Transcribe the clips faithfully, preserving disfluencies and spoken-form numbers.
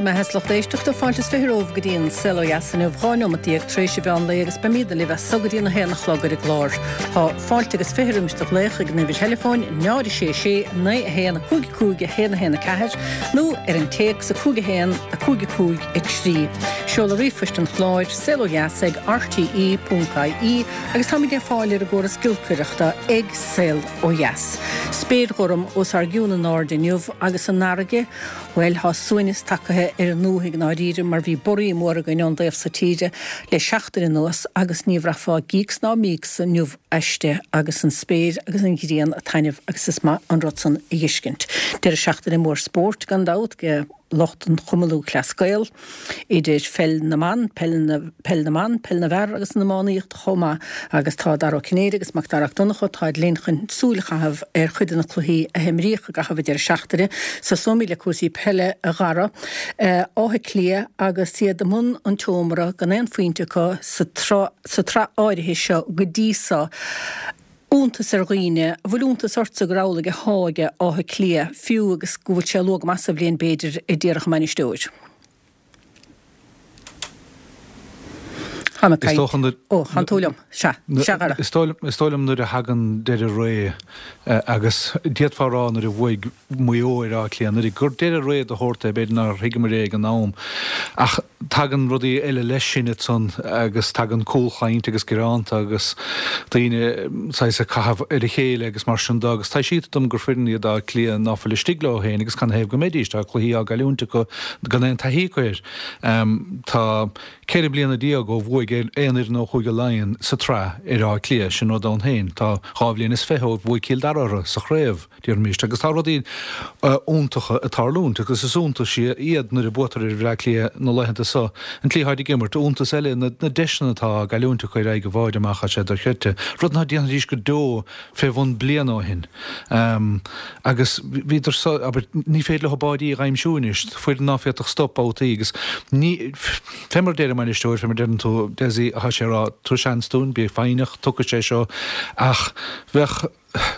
Bhur mbeatha is lucht éisteachta, fáilte is fiche romhaibh go dtí an Saol Ó Dheas inniu, dhá neomat déag tar éis an mheán lae agus beimid libh as so go dtí an a haon a chlog ar an gclár. Tá fáilte agus fiche roimis do ghlaoch ag an uimhir theileafóin náid a sé sé naoi a haon a cúig a cúig a haon a haon a ceathair nó ar an téacs a cúig a haon a cúig a cúig a trí. Seoladh ríomhphoist an chláir, saol ó dheas ag R T E ponc I E agus táimid ar fáil ar an gcóras giolcaireachta ag Saol Ó Dheas. Spéir ghorm os ár gcionn in airde inniu agus an fharraige, bhuel, tá suaimhneas tagtha ar an ndúthaigh i ndáiríre mar bhí borraí mór againn ón dtaobh so tíre le seachtain anuas agus ní bhraithfeá gíocs ná míocs inniu aisti agus an spéir agus an ghrian ag taitneamh agus is maith an rud san a fheiscint. Deireadh seachtaine mór spóirt gan dabht ag lucht an Chumann Lúthchleas Gael, idir pheil na mban, peil na peil na mban, peil na bhfear agus an iománaíocht chomh maith agus tá Dara Ó Cinnéide agus Mac Dara Mac Donncha táid linn chun súil a chaitheamh ar chuid de na cluichí a himríodh i gcaitheamh an deireadh seachtaine. Tosóimid le cúrsaí peile a Dhara, Áth Cliath agus iad i mbun an tseomra gan aon phointe acu sa sa tsraith áirithe seo go dtí so. Iontas ar dhaoine, an bhfuil iontas ortsa gur amhlaidh atá ag Áth Cliath, fiú agus go bhfuil sé luath go maith sa bhliain b'fhéidir a déarfadh an bainisteoir. Tá mé Is dócha nuair Ó, tánn tú liom. Sea, sea a Dhara. Is dóigh is dóigh liom nuair a thagann deireadh ré agus d'fhéadfá a rá nuair a bhuaigh Maigh Eo ar Áth Cliath anuraidh gur deireadh ré de shórt é, b'fhéidir nár thuigeamar é ag an am ach tagann rudaí eile leis sin ansan agus tagann cúlchaint agus gearánta agus daoine saghas ag caitheamh ar a chéile agus mar sin de agus taibhsítear dom gur foireann iad Áth Cliath ná fuil istigh leo féin agus canathaobh go mbeidís, tá cluichí á gcailliúint acu gan aon taithí acu air. Tá ceithre bliana déag ó bhuaigh aon fhoireann ó Chúige Laighean sa tsraith ar Áth Cliath, sin rud ann féin. Tá dhá bhliain is fiche ó bhuaigh Cill Dara orthu sa chraobh. Déarfaimis, agus tá rudaí iontacha ag tarlúint, agus is iontas iad nuair a buatar ar Bhleá Cliath na laethanta so, an tslí atáid ag imirt, iontas eile na deiseanna atá á gcailliúint acu ar aghaidh an bháide amach, tá sé dochreidte, rud ná déanfaidís go deo fé bhun bliana ó shin. Agus bhíodar so, abair, ní féidir leo báidí a dh'aimsiú anois, foireann ná féadfadh stop babhtaí, agus ní, fé mar a deir an bainisteoir, fé mar a deireann tú, Dessie, tá sé ag rá, tabhair seans dúinn, bí foighneach, tiocfaidh sé seo, ach bheadh.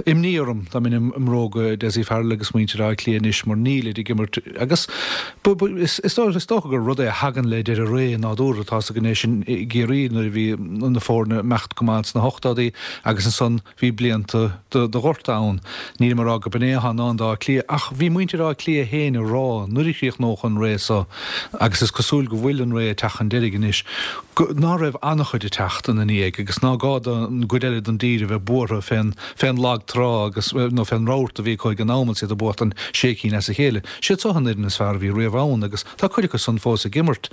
imní orm dá mbeinn i mbróga Dessie Farrell agus muintir Átha Cliath anois mar nílid ag imirt agus is dócha gur rud é a thagann le deireadh ré nádúrtha. Tá's againn é sin i gCiarraí nuair a bhí na foirne ag imeacht go maith sna hochtóidí agus ansan bhí blianta de ghorta ann. Nílim ag rá go b'in é atá i ndán d'Áth Cliath ach bhí muintir Átha Cliath féin ag rá nuair a chríochnódh an ré so, agus is cosúil go bhfuil an ré ag teacht chun deiridh anois, go, ná raibh an-chuid ag teacht ina ndiaidh agus ná gá don gcuid eile den dtír a bheith buartha fén, fén lag trá agus, nó fén rabharta a bhí acu ag an am agus iad ag buachtaint sé cinn as a chéile. Siad so an fhoireann is fearr a bhí riamh ann agus tá cuid acu san fós ag imirt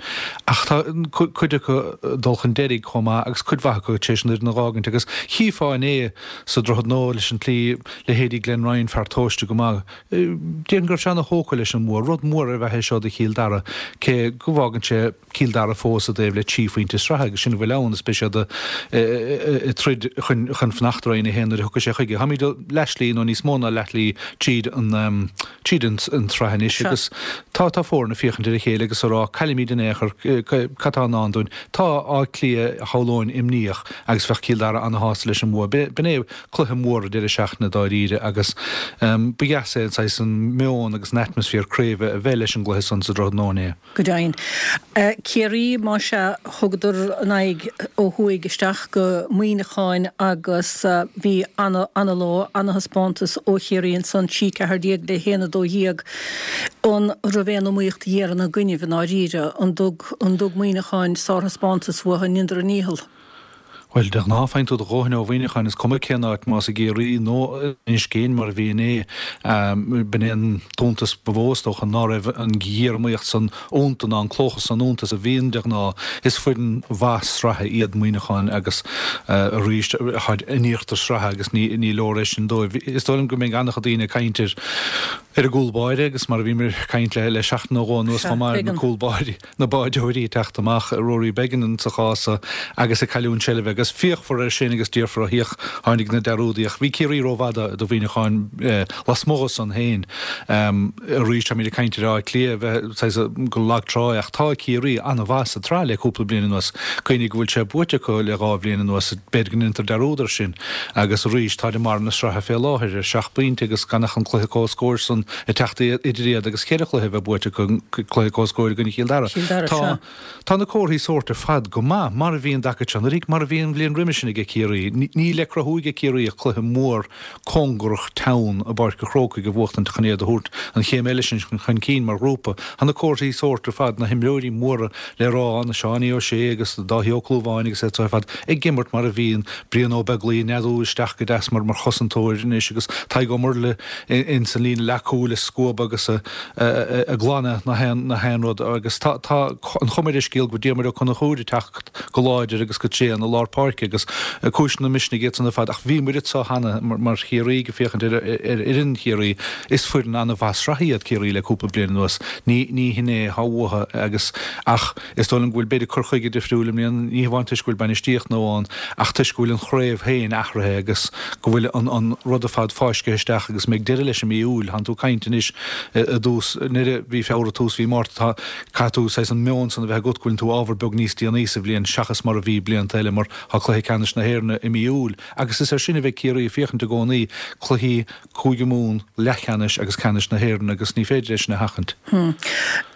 ach tá cuid acu ag dul chun deiridh chomh maith agus cuid mhaith acu tar éis an fhoireann a dh'fhágaint agus chífeá inné sa Droichead Nua leis an tslí, leithéidí Glenn Ryan, fear tomhaiste go maith, déarfainn go raibh sé ana-thógtha leis an mbua. Rud mór ar bheatha é seo do Chill Dara cé go bhfágann sé Cill Dara fós i dtaobh le trí phointe sraithe agus sin a bhfuil ann is beidh siad ag troid chun fanacht i Roinn a haon nuair a thiocfaidh sé chuige. Táimid leathshlí nó níos mó ná leathshlí tríd an tríd an tsraith anois agus tá tá foirne ag féachaint ar a chéile agus ag rá caillimid in aon chor cad tá i ndán dúinn. Tá Áth Cliath shamhlóinn imníoch agus bheadh Cill Dara ana-shásta leis an mbua. B'in é cluiche mór an deireadh seachtaine dáiríre agus ba dheas é an saghas an meon agus an atmaisféar craoibhe a bheith leis an gcluiche san sa Droichead Nua inné. Go deimhin. Ciarraí, más ea, thugadar a n-aghaidh ó thuaidh isteach go Muineachán agus bhí ana-lá, ana-thaispeántas ó Chiarraí ansan, trí ceathair déag le haon a dó dhéag. An raibh aon iomaíocht dhera ina gcoinnibh i ndáiríre? An dtug, an dtug Muineachán sárthaispeántas uathu, an ndeineadar a ndícheall? Bhuel, de ghnáth faigheann tú do dhóthain ó Mhuineachán, is cuma cén áit, más i gCiarraí nó in Inis Géin mar a bhí inné. B'in é an t-iontas ba mhó, is dócha, ná raibh an ghéariomaíocht san iontu ná an clóchas san iontu is a bhíonn de ghnáth. Is foireann mhaith sraithe iad Muineachán agus arís, táid in íochtar sraithe agus ní leor é sin dóibh. Is dóigh liom go mbeidh an-chuid daoine ag caint ar ar an gcúl báire agus mar a bhíomar ag caint le seachtain nó dhó anuas chomh maith ar na cúl báirí. na báideoirí ag teacht amach, Rory Beggan sa chás so, agus ag cailliúint seilbhe agus féachfar air sin agus déarfar ó féach, tháinig na dearúdaí ach bhí Ciarraí rófhada do Mhuineachán lasmuigh san féin. Arís táimid ag caint ar Áth Cliath a bheith saghas gur lag trá é ach tá Ciarraí an-mhaith sa tsraith le cúpla bliain anuas. Cuimhnigh go bhfuil sé buaite acu le dhá bhliain anuas, b'fhéidir go ndéantar dearúd air sin agus arís táid i mbarr na sraithe fé láthair ar seacht bpointe agus gan ach an cluiche comhscóir san san ag teacht idir iad agus ceithre chluiche a bheith buaite acu, cluiche comhscóir i gcoinne Chill Dara. Chill Dara, Tá sea. Tá na comharthaí sóirt ar fad go maith, mar a bhí an dtaca seo anuraidh, mar a bhí an bhliain roimhe sin aige Ciarraí. Níl le cruthú aige Ciarraí ach cluiche mór cóngarach teann i bPáirc an Chrócaigh a bhuachtaint chun iad a thabhairt an chéim eile sin chun cinn mar ghrúpa. Tá na comharthaí sóirt ar fad, na himreoirí móra le rá, na Seánie O'Shea agus Dáithí Ó Clúmháin agus iad so ar fad ag imirt mar a bhíonn, Brian Ó Beaglaoich ag neadú isteach go deas mar chosantóir anois agus Tadhg Ó Murlaigh ins an líne leathchúil ag scuabadh agus ag glanadh na haon rud agus tá an chuma ar an scéal go bhfuil Diarmuid Ó Conchúir ag teacht go láidir agus go tréan i lár páirce agus cúiseanna misnigh iad san ar fad ach bhí muid anso cheana mar Chiarraí ag féachaint ar fhoireann Chiarraí is foireann an-mhaith sraithe iad Ciarraí le cúpla bliain anuas ní ní hin é atá uathu agus ach is dóigh liom go bhfuil b'fhéidir cur chuige difriúil i mbliana ní hamháin toisc go bhfuil bainistíocht nua ann ach toisc go bhfuil an chraobh féin athraithe agus go bhfuil an an rud ar fad fáiscthe isteach agus mbeidh deireadh leis i mí Iúil. Tánn tú ag caint anois i dtús ndeireadh mhí Feabhra, tús mhí Márta, tá, caithfidh tú saghas an meon san a bheith agat go bhfuileann tú ábhar beag níos déanaí sa bhliain seachas mar a bhí blianta eile mar tá cluiche ceannais na hÉireann i mí Iúil agus is air sin a bheidh Ciarraí ag féachaint i gcónaí, cluichí Cúige Mumhan, leathcheannais agus ceannais na hÉireann agus ní féidir é sin a sheachaint.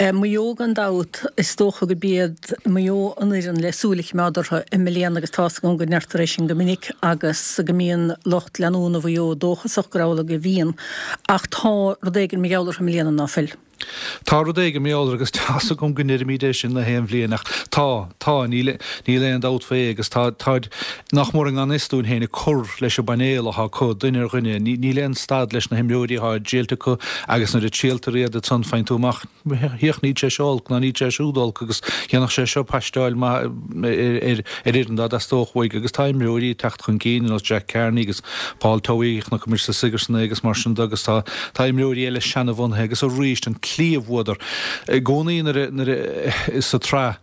Maigh Eo gan dabht, is dócha gurb iad Maigh Eo an fhoireann le súil a choimeád orthu i mbliana agus tá's agam go ndeirtear é sin go minic agus go mbíonn lucht leanúna Mhaigh Eo dóchasach gur amhlaidh a bhíonn ach tá rud éigin mar gheall orthu i mbliana ná fuil? Tá rud éigin mar gheall agus tá's agam go ndeirimid é sin na haon bhliain ach tá, tá, níl, níl aon dabht faoi agus tá, táid nach mór i ngan fhios dúinn féin ag cur leis an bpainéal atá acu, duine ar dhuine, ní, níl aon stad leis na himreoirí atá triailte acu agus nuair a triailtear iad ansan faigheann tú amach, Féach, níl sé seo olc ná níl sé siúd olc agus dhéanfadh sé seo paisteáil maith ar fhoireann dá dteastódh uaidh agus tá imreoirí ag teacht chun cinn ar nós Jack Carney agus Paul Towey, chonaic muid sa Sigerson é agus mar sin de agus tá tá imreoirí eile seanabhunaithe agus arís an tslí a bhuadar i gcónaí nuair a nuair a sa tsraith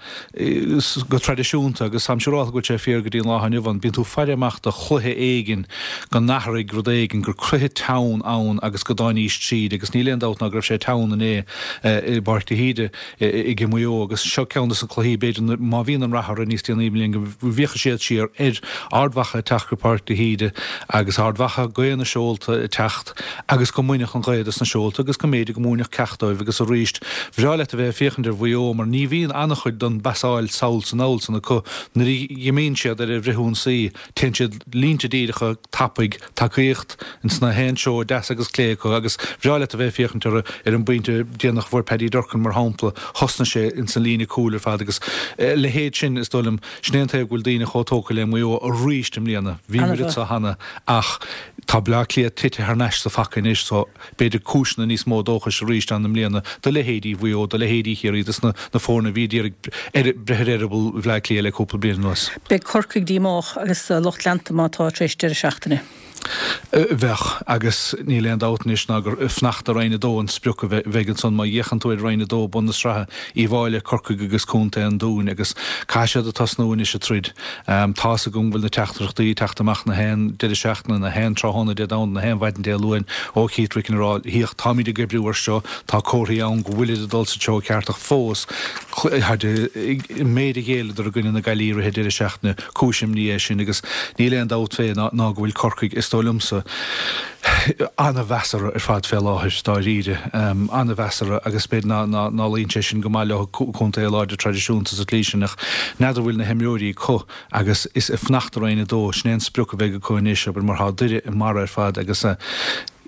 go traidisiúnta agus táim siúráilte go bhfuil sé fíor go dtí an lá inniu ann, bíonn tú ag faire amach do chluiche éigin go n-athraigh rud éigin, gur cluiche teann ann agus go dtáinís tríd agus níl aon dabht ná go raibh sé teann inné i bPáirc de hÍde ag Maigh Eo agus seo ceann de na cluichí b'fhéidir má bhíonn an rath orthu níos déanaí i mbliana go bhféachfaidh siad siar ar Ard Mhacha ag teacht go Páirc de hÍde agus Ard Mhacha, gaoth na seolta ag teacht agus go mbainfeadh an ghaoth dos na seolta agus go mb'fhéidir go múinfeadh ceacht dóibh agus arís bhreá leat a bheith ag féachaint ar Mhaigh Eo mar ní bhíonn an-chuid den bpasáil sall 's anall san acu nuair a dh'imíonn siad ar an bhfrithionsaí téann siad línte díreacha tapaidh tacaíocht ins na haon treo deas agus clé acu agus bhreá leat a bheith ag féachaint orthu ar an bpointe déanach a fuair Paddy Durcan mar shampla thosnaigh sé ins an líne cúil ar fad agus a leithéid sin is dóigh liom sin é an taobh go bhfuil daoine chomh tógtha le Maigh Eo arís i mbliana. Bhí muid anso cheana ach tá Bleá Cliath tite thar n-ais sa phaca anois so b'fhéidir cúiseanna níos mó dóchais arís ann i mbliana do leithéidí Mhaigh Eo, do leithéidí Chiarraí, dos na na foirne a bhí ag iarraidh breith ar eireaball Bhleá Cliath le cúpla bliain anuas. Beidh Corcaigh díomách agus a lucht leanta má tá tar éis deireadh seachtaine. Bheadh, agus níl aon dabht anois ná gur fanacht i Roinn a Dó an sprioc a bheidh ansan má fhéachann tú ar Roinn a Dó, bun na sraithe, Uíbh Fhailí, Corcaigh agus Contae an Dúin agus caithfidh siad a tosnú anois ag troid. Tá's agam go bhfuil na teachtaireachtaí ag teacht amach na haon deireadh seachtaine, na haon tráthnóna Dé Domhnaigh, na haon mhaidin Dé Luain ó Keith Ricken ag rá, Féach, táimid ag oibriú air seo, tá comharthaí ann go bhfuilid ag dul sa treo ceart ach fós, an méid a ghéilleadar i gcoinne na Gaillimhe i rith an deireadh seachtaine, cúis imní é sin agus níl aon dabht fé ná go bhfuil Corcaigh, is dóigh liomsa, an-mheasartha ar fad fé láthair, dáiríre. An-mheasartha agus b'fhéidir ná ná luíonn sé sin go maith leo, contae láidir traidisiúnta sa tslí sin ach n'fheadar an bhfuil na himreoirí acu agus is ag fanacht i Roinn a Dó, sin é an sprioc a bheidh acu anois, abair, mar tá Doire i mbarra ar fad agus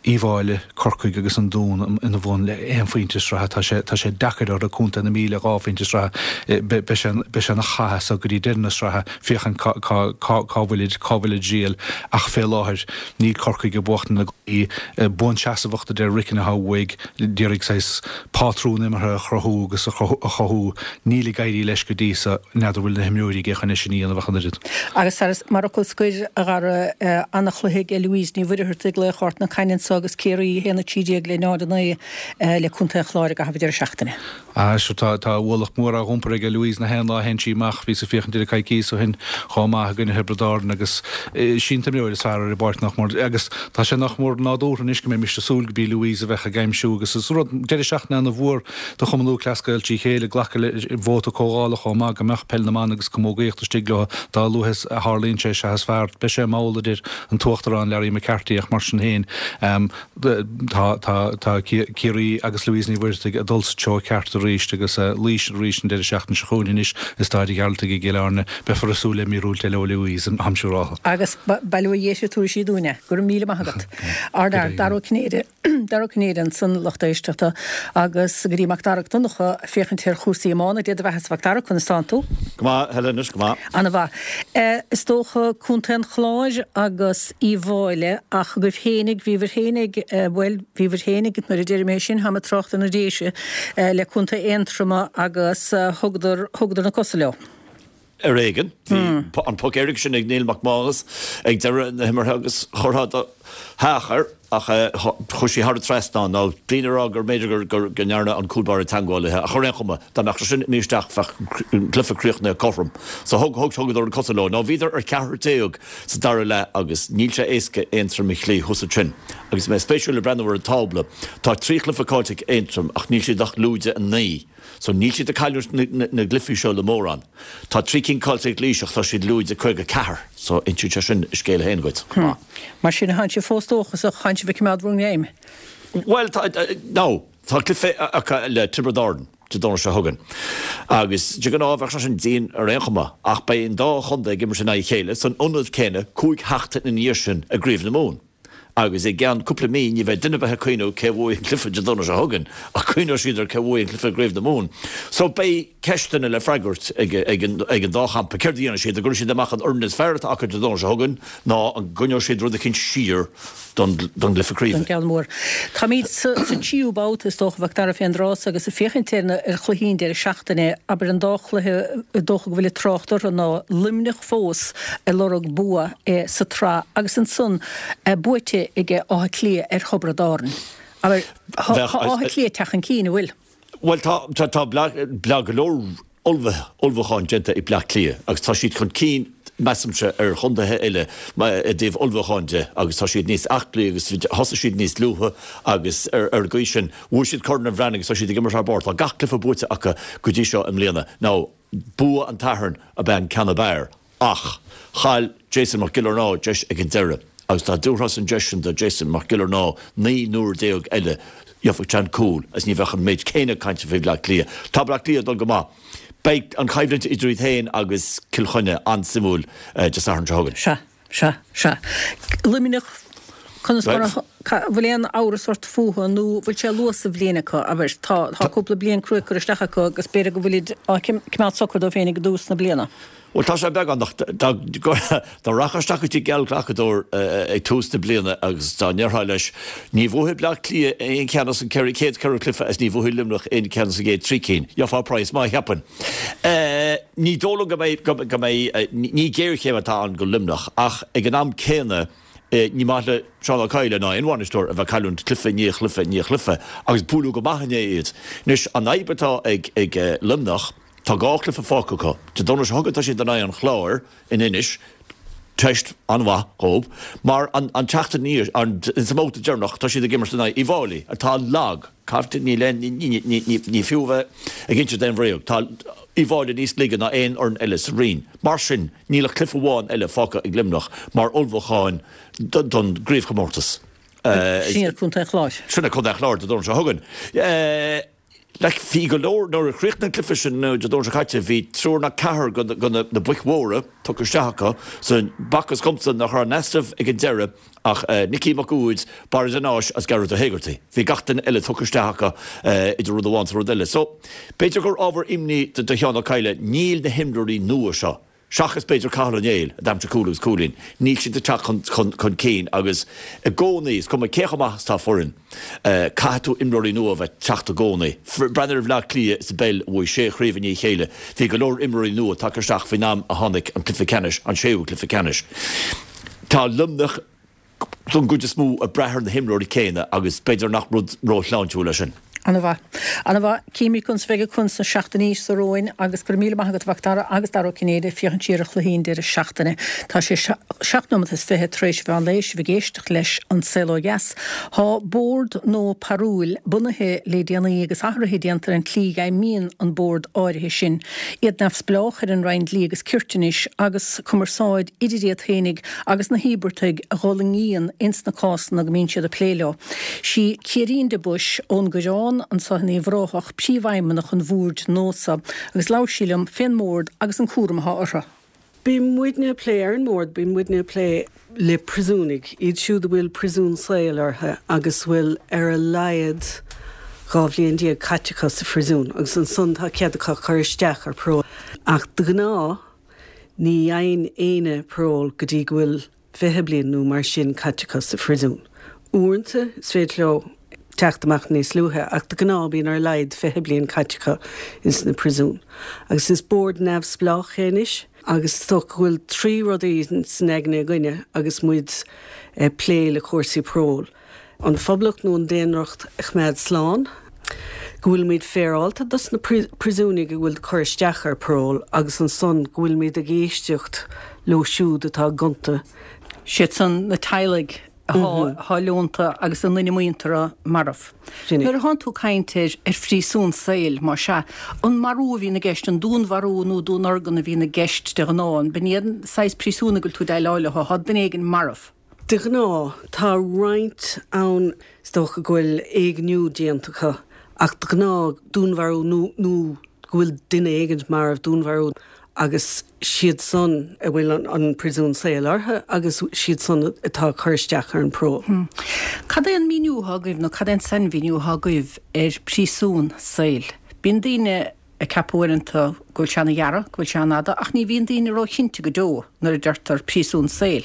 Uíbh Fhailí, Corcaigh agus an Dún ina bhun le aon phointe sraithe. Tá sé, tá sé deacair orthu, Contae na Mí le dhá phointe sraithe. Beidh sé, beidh sé ina chath as so go dtí deireadh na sraithe féachaint cá, cá, cá, cá bhfuilid, cá bhfuil a dtriall ach fé láthair níl Corcaigh ag buachtaint na gcluichí. Buanseasmhacht a deir Ricken atá uaidh, d'iarraidh saghas pátrún imeartha a chruthú agus a chothú. Níl ag éirí leis go dtí so. N'fheadar bhfuil na himreoirí aige chun é sin a dhéanamh ach an oiread. Agus mar fhocal scoir, a Dhara, ana-chluiche ag Louise Ní Mhuircheartaigh, laoch Ard na Caithne anso agus Ciarraí a haon a trí déag le náid a naoi le Contae an Chláir i gcaitheamh an deireadh seachtaine. Ah, sure, tá, tá ualach mór á iompar ag Louise na haon lá a théann sí amach. Bhíos ag féachaint uirthi coicíos ó shin chomh maith i gcoinne Thiobraid Árann agus sí an t-imreoir is fearr ar an bpáirc nach mór. Agus tá sé nach mór nádúrtha anois go mbeimis ag súil go b'í Louise a bheadh ag aimsiú agus is rud deireadh seachtaine ana-mhór do Chumann Lúthchleas Gael trí chéile glacadh le vóta comhdhála chomh maith go mbeadh peil na mban agus camógaíocht istigh leo dá luaithe a tharlaíonn sé sea is fearr. Beidh sé mall a deir an tUachtarán Larry McCarthy ach mar sin féin Tá tá Ciarraí agus Louise Ní Mhuircheartaigh ag dul sa treo ceart arís agus Laois arís an deireadh seachtaine seo chugainn anois i Staid an Ghearaltaigh i gCill Airne. Beifear ag súil le míorúilt eile ó Louise, táim siúráilte. Agus baileoidh sí tuairisí dúinne. Go raibh míle maith agat. Ardfhear, Dara Ó Cinnéide, Dara Ó Cinnéide ansan, lucht éisteachta, agus go dtí Mac Dara Mac Donncha ag féachaint ar chúrsaí iomána. Dia do bheatha-sa a Mhac Dara, conas tánn tú? Go maith, Helen, anois, go maith. Ana-mhaith. Is dócha Contae an Chláir agus Uíbh Fhailí, ach agaibh fhéinig, bhíobhair fhéinig, bhuel, bhíobhair fhéinig, nuair a deirim é sin, táim ag trácht ar na Déise, le Contae Aontroma agus thugadar, thugadar na cosa leo. Ar éigean. Bhí an poc éirice sin ag Neil Mac Mánais ag deireadh na himeartha agus chuirfeá do theach air ach chuaigh sí thar an trasnán. Nó daoine ag rá gur mb'fhéidir go ndearna an cúl báire teagmháil léi ach ar aon chuma, dá mbeadh sé sin imithe isteach bheadh an cluiche críochnaithe cothrom. So thug, thug, thugadar na cosa leo. Nó bhíodar ar ceathrar déag sa dara leath agus níl sé éasca Aontroim a chloí thuas ansin. Agus mé spéisiúil ag breathnú ar an tábla, tá trí chluiche caillte ag Aontroim ach níl siad ach lúide a naoi. So níl siad ag cailliúint na gcluichí seo le mórán. Tá trí cinn caillte ag Laois ach tá siad lúide caoga ceathair. So insíonn sé sin a scéal féin dhuit chomh maith. Mar sin, tánn sibh fós dóchasach, tánn sibh ag coimeád bhur ngreim? Bhuel, tá, no, tá cluiche acu le Tiobraid Árann Dé Domhnaigh seo chugainn. Agus de ghnáth bheadh sé sin dian ar aon chuma ach beidh an dá chontae ag imirt in aghaidh a chéile san ionad céanna cúig sheachtain ina dhiaidh sin i gCraobh na Mumhan. Agus i gceann cúpla mí ní bheidh duine ar bith ag cuimhneamh cé a bhuaigh an cluiche Dé Domhnaigh seo chugainn, ach cuimhneoidh siad ar cé a bhuaigh an cluiche i gCraobh na Mumhan. So beidh ceisteanna le freagairt ag ag an dá champa. Céard a dhéanfaidh siad? An gcuirfidh siad amach an fhoireann is fearr atá acu Dé Domhnaigh seo chugainn nó an gcoinneoidh siad rud eicínt siar don don gcluiche Don craoibhe? gceann mór. Táimid sa sa tríú babhta is dócha, a Mhac Dara fén dtráth so agus ag féachaint ar na ar chluichí an deireadh seachtaine, abair an dá chluiche is dócha go bhfuil ag trácht orthu ná Luimneach fós ag lorg bua sa tsraith agus ansan buaite ag Áth Cliath ar Thiobraid Árann. Abair, tá Áth Cliath ag teacht chun cinn, an bhfuil? Bhuel, tá, tá, tá tá go leor ullmhúcháin déanta ag Bleá Cliath agus tá siad chun cinn, measaimse, ar chontaetha eile i dtaobh ullmhúcháin de agus tá siad níos aclaí agus thosaigh siad níos luaithe agus ar an gcaoi sin bhuaigh siad Corn an Bhreathnaigh agus tá siad ag imirt thar barr. Tá gach cluiche buaite acu go dtí seo i mbliana. Now, bua an tSathairn ab ea an ceann ab fhearr ach chaill Jason Mac Giollarnáth deis ag an deireadh agus dá dtabharfá an deis sin do Jason Mac Giollarnáth naoi n-uair déag eile gheobhadh sé an cúl agus ní bheadh an méid céanna cainte faoi Bhleá Cliath. Tá Bleá Cliath ag dul go maith. Beidh an choimhlint idir iad féin agus Cill Chainnigh an-suimiúil Dé Sathairn seo chugainn. Sea. Sea, sea. Luimneach, conas mar a, bhfuil aon amhras ort fúthu nó bhfuil sé luath sa bhliain acu, abair, tá, tá cúpla bliain crua curtha isteach acu agus b'fhéidir go bhfuilid á coimeád socair dóibh féin ag dtús na bliana. Bhuel, tá sé beagán, ach dá, dá rachfá isteach go dtí geallghlacadóir ag tús na bliana agus dá ndéarfá leis, ní bhuafaidh Bleá Cliath aon cheann as an ceithre, chéad ceithre chluiche agus ní bhuafaidh Luimneach aon cheann as an gcéad trí cinn, gheofá praghas maith, cheapfainn. Ní dóigh liom go mbeidh, go mbeidh, ní géarchéim atá ann go Luimneach ach ag an am céanna ní maith le Seán Ó Cadhla ná aon bhainisteoir a bheith ag cailliúint cluiche i ndiaidh chluiche i ndiaidh chluiche agus buaileadh go maith inné iad. Anois an fhadhb atá ag ag Luimneach, tá dhá chluiche fágtha acu. Dé Domhnaigh seo chugainn tá siad in aghaidh an Chláir in Inis, teist an-mhaith dhóibh, mar an an tseachtain ina dhiaidh, sa mbabhta deireanach tá siad ag imirt in aghaidh Uíbh Fhailí atá lag. Caithfidh, níl aon, ní fiú a bheith ag insint aon bhréag, tá Uíbh Fhailí níos laige ná aon fhoireann eile sa roinn. Mar sin, níl ach cluiche amháin eile fágtha ag Luimneach mar ullmhúchán don gcraobhchomórtas. Sin iad Contae an Chláir. Sin é Contae an Chláir Dé Domhnaigh seo chugainn. Like, bhí go leor, nuair a chríochnaigh an cluiche sin Dé Domhnaigh seo caite, bhí triúr nó ceathrar de na boic mhóra tugtha isteach acu, so b'fhacthas dhomsa nach raibh in easnamh ag an deireadh ach Nicky Mac Uaid, Barra de Náis agus Gearóid Ó hÉigeartaigh. Bhí gach duine eile tugtha isteach acu idir rud amháin is rud eile. So, b'fhéidir gur ábhar imní do Sheán Ó Cadhla, níl na himreoirí nua seo, seachas b'fhéidir Cathal Ó Néill, a d'aimsigh cúl agus cúilín, níl siad ag teacht chun cinn agus i gcónaí, is cuma cé chomh maith is atá foireann, caithfidh tú imreoirí nua a bheith ag teacht i gcónaí. Breathnaigh ar Bhleá Cliath sa bpeil a bhuaigh sé chraobh i ndiaidh a chéile, bhí go leor imreoirí nua tagtha isteach faoin am a tháinig an cluiche ceannais, an séú cluiche ceannais. Tá Luimneach don gcuid is mó ag brath ar na himreoirí céanna agus b'fhéidir nach rud róshláintiúil é sin. Ana-mhaith. Ana-mhaith. Címid conas a bheidh ag cun sna seachtainí seo romhainn agus go raibh míle maith agat a Mhac Dara agus Dara Ó Cinnéide ag féachaint siar ar chluichí an deireadh seachtaine. Tá sé seacht nóiméad is fiche tar éis mheán lae, sibh ag éisteacht leis An Saol Ó Dheas. Tá bord nua paróil bunaithe le déanaí agus athruithe déanta ar an tslí a bhfeidhmíonn an bord áirithe sin. Iad neamhspleách ar an Roinn Dlí agus Cirt anois agus cumarsáid idir iad féinig agus na híobartaigh a dh'fhulaingíonn ins na cásanna go mbíonn siad ag plé leo. Sí Ciairín de Buis ón gCoireán anso in Uíbh Ráthach, príomhfheidhmeannach an bhoird nua so, agus labhair sí liom fén mbord agus an cúram atá orthu. Bíonn muidne ag plé ar an mbord, bíonn muidne ag plé le príosúnaigh, iad siúd a bhfuil príosún saoil orthu agus a bhfuil ar a laghad dhá bhliain déag caite acu sa phríosún agus ansan tá cead acu cur isteach ar parole. Ach de ghnáth ní fhaigheann éinne parole go dtí go bhfuil fiche bliain nó mar sin caite acu sa phríosún. Uaireanta is féidir leo teacht amach níos luaithe, ach de ghnáth bíonn ar a laghad fiche bliain caite acu ins na príosúin. Agus is bord neamhspleách é anois agus is dócha go bhfuil trí rudaí san aigne againne agus muid ag plé le cúrsaí parole. An phoblacht nó an daonracht a choimeád slán, go bhfuilimid féaráilte dos na príosúnaigh a bhfuil cur isteach ar parole agus ansan go bhfuilimid ag éisteacht leo siúd atá gonta. Siad san na teaghlaigh atá leonta agus a nduine muinteartha marbh. Nuair atánn tú ag caint ar ar phríosún saoil, más ea, an marú a bhíonn i gceist, an dúnmharú nó dúnorgain a bhíonn i gceist de ghnáth, an b'in iad an saghas príosúnaigh go bhfuil tú ag déileáil leo, tá duine éigin marbh? De ghnáth, tá roinnt ann, is dócha go bhfuil éigniú déanta acu, ach de ghnáth, dúnmharú nó nó go bhfuil duine éigint marbh, dúnmharú, agus siad san a bhfuil an príosún saoil orthu agus siad san atá ag cur isteach ar an parole. Cad é an míniú atá agaibh nó cad é an sainmhíniú atá agaibh ar phríosún saoil? Bíonn daoine ag ceapadh uaireanta go bhfuil sé ana-ghearr, go bhfuil sé an-fhada, ach ní bhíonn daoine ró-chinnte go deo nuair a deirtear príosún saoil.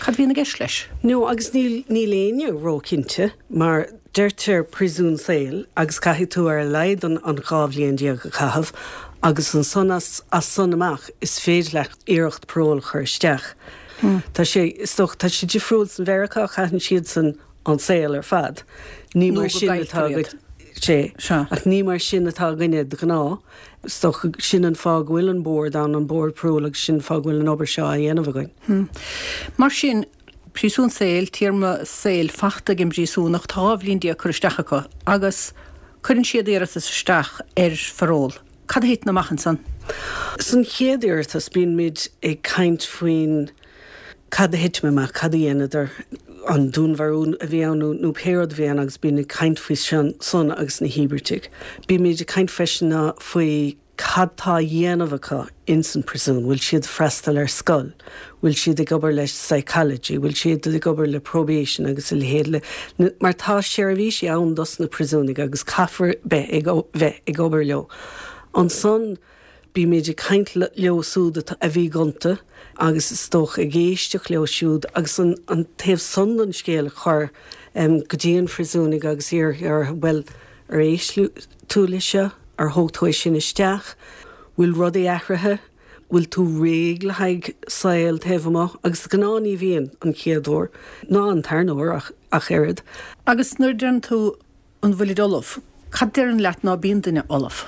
Cad a bhíonn i gceist leis? No, agus níl, níl éinne ró-chinnte mar deirtear príosún saoil agus caithfidh tú ar a laghad an, an dhá bhliain déag a chaitheamh agus ansan as, as san amach is féidir leat iarracht parole a chur isteach. Tá sé, is dócha, tá sé difriúil san Mheiriceá, caitheann siadsan an saol ar fad. Ní Nó mar go sin gcailltear atá iad. againn, sé, Sea. ach ní mar sin atá againne de ghnáth. Is dócha sin an fáth go bhfuil an bord ann, an bord parole, agus sin an fáth go bhfuil an obair seo á dhéanamh againn. Mar sin, príosún saoil, téarma saoil fachta ag an bpríosúnach, tá dhá bhliain déag curtha isteach acu agus cuireann siad iarratas isteach ar pharól. Cad a thiteann amach ansan? San chéad iarratas bíonn muid ag caint faoin cad a thit amach, cad a dhéanadar, an dúnmharú a bhí ann nó pé rud a bhí ann agus bíonn ag caint faoi sin san agus na híobartaigh. Bímid ag caint freisin faoi cad tá á dhéanamh acu ins an príosún, bhfuil siad freastal ar scoil, bhfuil siad ag obair le psychology, bhfuil siad ag obair le probation agus a leithéid le mar tá seirbhísí ann dos na príosúnaigh agus caithfear bheith ag bheith ag obair leo. Ansan bímid ag caint leo siúd a bhí gonta agus is dócha ag éisteacht leo siúd agus an, an taobh san den scéal a chur um, go dtí an phríosúnaigh agus iarraidh ar bhuel ar éist tú le seo, ar thóg tú é sin isteach, bhfuil rudaí athraithe, bhfuil tú réidh le haghaidh saol taobh amuigh agus de ghnáth ní bhíonn an chéad uair ná an tarna huair ach, ach oiread. Agus nuair a deireann tú an bhfuilid ullamh, cad deireann leat ná bíonn duine ullamh?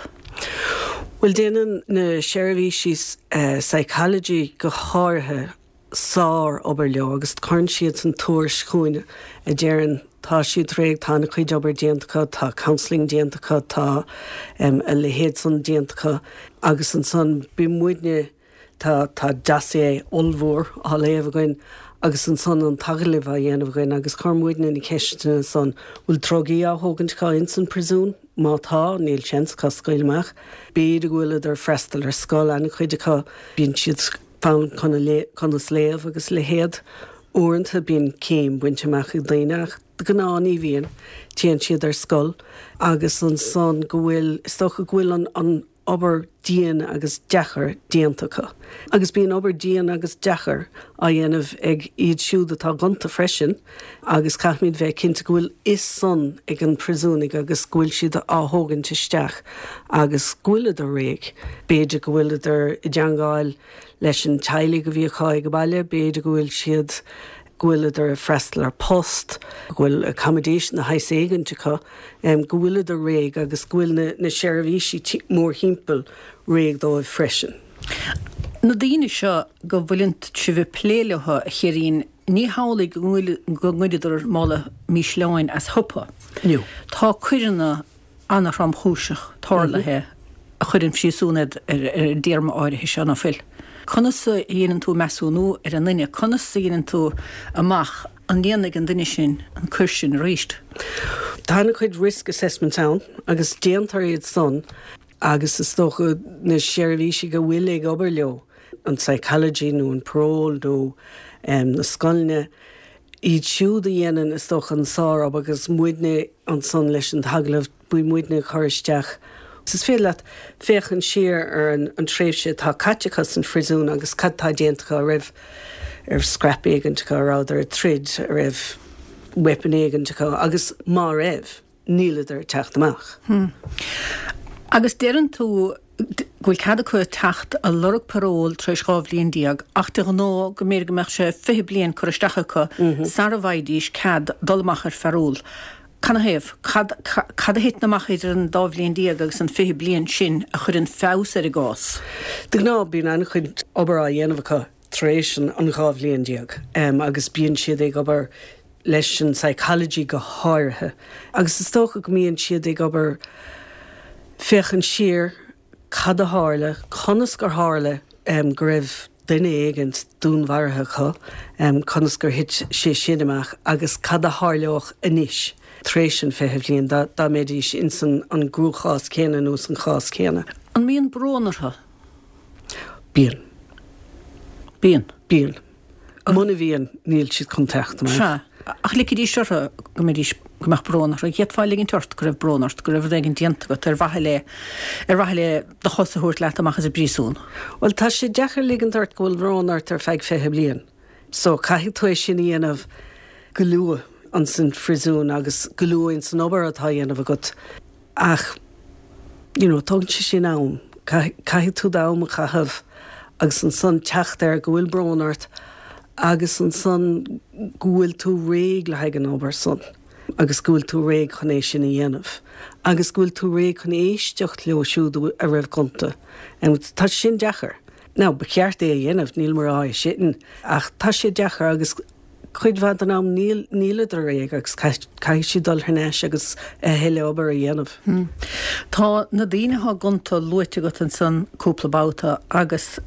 Bhuel déanann na seirbhísí uh, psychology go háirithe sár obair leo agus cuireann siad san tuairisc chugainn a deireann tá siad réidh tá a chuid obair déanta acu, tá counselling déanta acu, tá um, a leithéid san déanta acu agus ansan bíonn muidne tá tá dossier ollmhór á léamh againn agus ansan an t-agallamh á dhéanamh againn agus cuireann muidne na ceisteanna san bhfuil drugaí á thógaint acu ins an príosún, má tá níl seans acu scaoileadh amach. B'fhéidir go bhfuileadar freastal ar scoil an-chuid acu bíonn siad foghlaim conas léamh agus leithéid. Uaireanta bíonn céim bainte amach ag daoine ach de ghnáth ní bhíonn téann siad ar scoil agus ansan go bhfuil is dócha go bhfuil an, an obair dian agus deacair déanta acu. Agus bíonn obair dian agus deacair á dhéanamh ag iad siúd atá gonta freisin agus caithfimid bheith cinnte go bhfuil fhios san ag an príosúnaigh agus go bhfuil siad á thógaint isteach agus go bhfuileadar réidh. B'fhéidir go bhfuileadar i dteagmháil leis an teaghlaigh a bhí acu ag baile, b'fhéidir go bhfuil siad go bhfuileadar ag freastal ar post, go bhfuil accommodation de shaghas éigint acu, go bhfuileadar réidh agus go bhfuil na na seirbhísí mórthimpeall réidh dóibh freisin. Na daoine seo go bhfuileann sibh ag plé leo, a Shirín, ní hamhlaidh go ngoideadar mála mísleáin as siopa. No. Tá coireanna an-thromchúiseach tarlaithe a chuireann phríosún iad ar an dtéarma áirithe seo, ná fuil? Conas a dhéanann tú measúnú ar an nduine? Conas a dhéanann tú amach an ndéanfaidh an duine sin an coir sin arís? Tá an-chuid risk assessments ann agus déantar iad san agus is dócha na seirbhísigh a bhfuil ag obair leo, an psychology nó an parole nó na scoileanna, iad siúd a dhéanann is dócha an sárobair agus muidne ansan leis an t-agallamh, bíonn muidne ag cur isteach. Is féidir leat féachaint siar ar an tréimhse atá caite acu san phríosún agus cad tá déanta acu, an raibh ar scrap éigint acu, an rabhadar ag troid, an raibh weapon éigint acu agus má raibh, níleadar ag teacht amach. Agus deireann tú go bhfuil cead acu teacht a lorg parole tar éis dhá bhliain déag ach de ghnáth go mb'fhéidir go mbeadh sé fiche bliain curtha isteach acu sara bhfaighidís cead dul amach ar pharole. Canathaobh? Cad cad a thiteann amach idir an dá bhliain déag agus an fiche bliain sin a chuireann feabhas ar a gcás? De ghnáth bíonn an-chuid obair á dhéanamh acu tar éis an dhá bhliain déag agus bíonn siad ag obair leis an psychology go háirithe agus is dócha go mbíonn siad ag obair féachaint siar cad a tharla, conas gur tharla go raibh duine éigint dúnmharaithe acu, conas gur thit sé sin amach agus cad a tharlódh anois tar éis an fiche bhliain dá dá mbeidís ins an an gcruachás céanna nó san chás céanna. An mbíonn brón orthu? Bíonn. Bíonn. Bíonn. Muna bhíonn, níl siad chun teacht amach. Sea. Ach ligfidís orthu go mbeidís, go mbeadh brón orthu. D'fhéadfá ligint ort go raibh brón ort, go raibh rud éigin déanta agat ar mhaithe le, ar mhaithe le do chos a thabhairt leat amach as an bpríosún. Bhuel, tá sé deacair ligint ort go bhfuil brón ort ar feadh fiche bliain. So, caithfidh tú é sin a dhéanamh go luath ins an phríosún agus go luath ins an obair atá á dhéanamh agat. Ach, you know, tógann sé sin am. Caithfidh tú d'am a chaitheamh agus ansan teacht air go bhfuil brón ort agus ansan go bhfuil tú réidh le haghaidh an obair san agus go bhfuil tú réidh chun é sin a dhéanamh agus go bhfuil tú réidh chun éisteacht leo siúd a raibh gonta. Tá sin deacair. Now, ba cheart é a dhéanamh, nílim ag rá é sin, ach tá sé deacair agus cuid mhaith den am níl, níleadar réidh agus caithfidh siad dul thar n-ais agus a thuilleadh obair a dhéanamh. Tá na daoine atá gonta luaite agat ansan cúpla babhta agus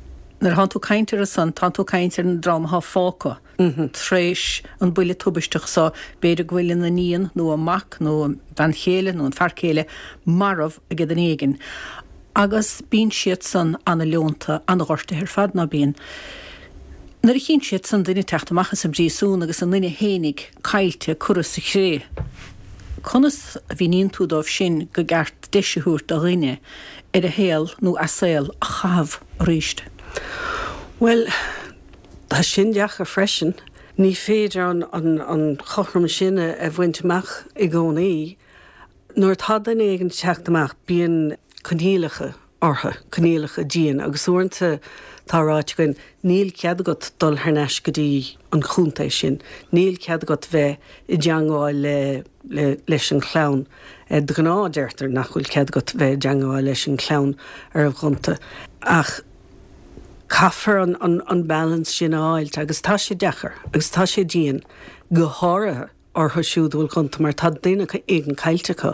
nuair atánn tú ag caint orthu san, tánn tú ag caint ar an dream atá fágtha tar éis an buille tubaisteach so, b'fhéidir go bhfuil an iníon nó an mac nó an bhean chéile nó an fear céile marbh ag duine éigin agus bíonn siad san ana-leonta, ana-ghortaithe ar fad, ná bíonn? Nuair a chíonn siad san duine ag teacht amach as an bpríosún agus a nduine fhéinig caillte curtha sa chré, conas a mhíníonn tú dóibh sin go gceart deis a thabhairt do dhuine ar a shaol nó a saol a chaitheamh arís? Bhuel, tá sin deacair freisin. Ní féidir an an an chothrom sin a bhaint amach i gcónaí. Nuair atá duine éigin ag teacht amach, bíonn coinníollacha orthu, coinníollacha dian, agus uaireanta tá ráite againn, níl cead agat dul thar n-ais go dtí an chontae sin, níl cead agat bheith i dteangmháil le, le, leis an chlann. De ghnáth deirtear nach bhfuil cead agat bheith i dteangmháil leis an chlann a raibh gonta. Ach caithfear an, an, an balance sin a fháilt agus tá sé deacair agus tá sé dian, go háirithe orthu siúd a bhfuil gonta mar tá duine éigin caillte acu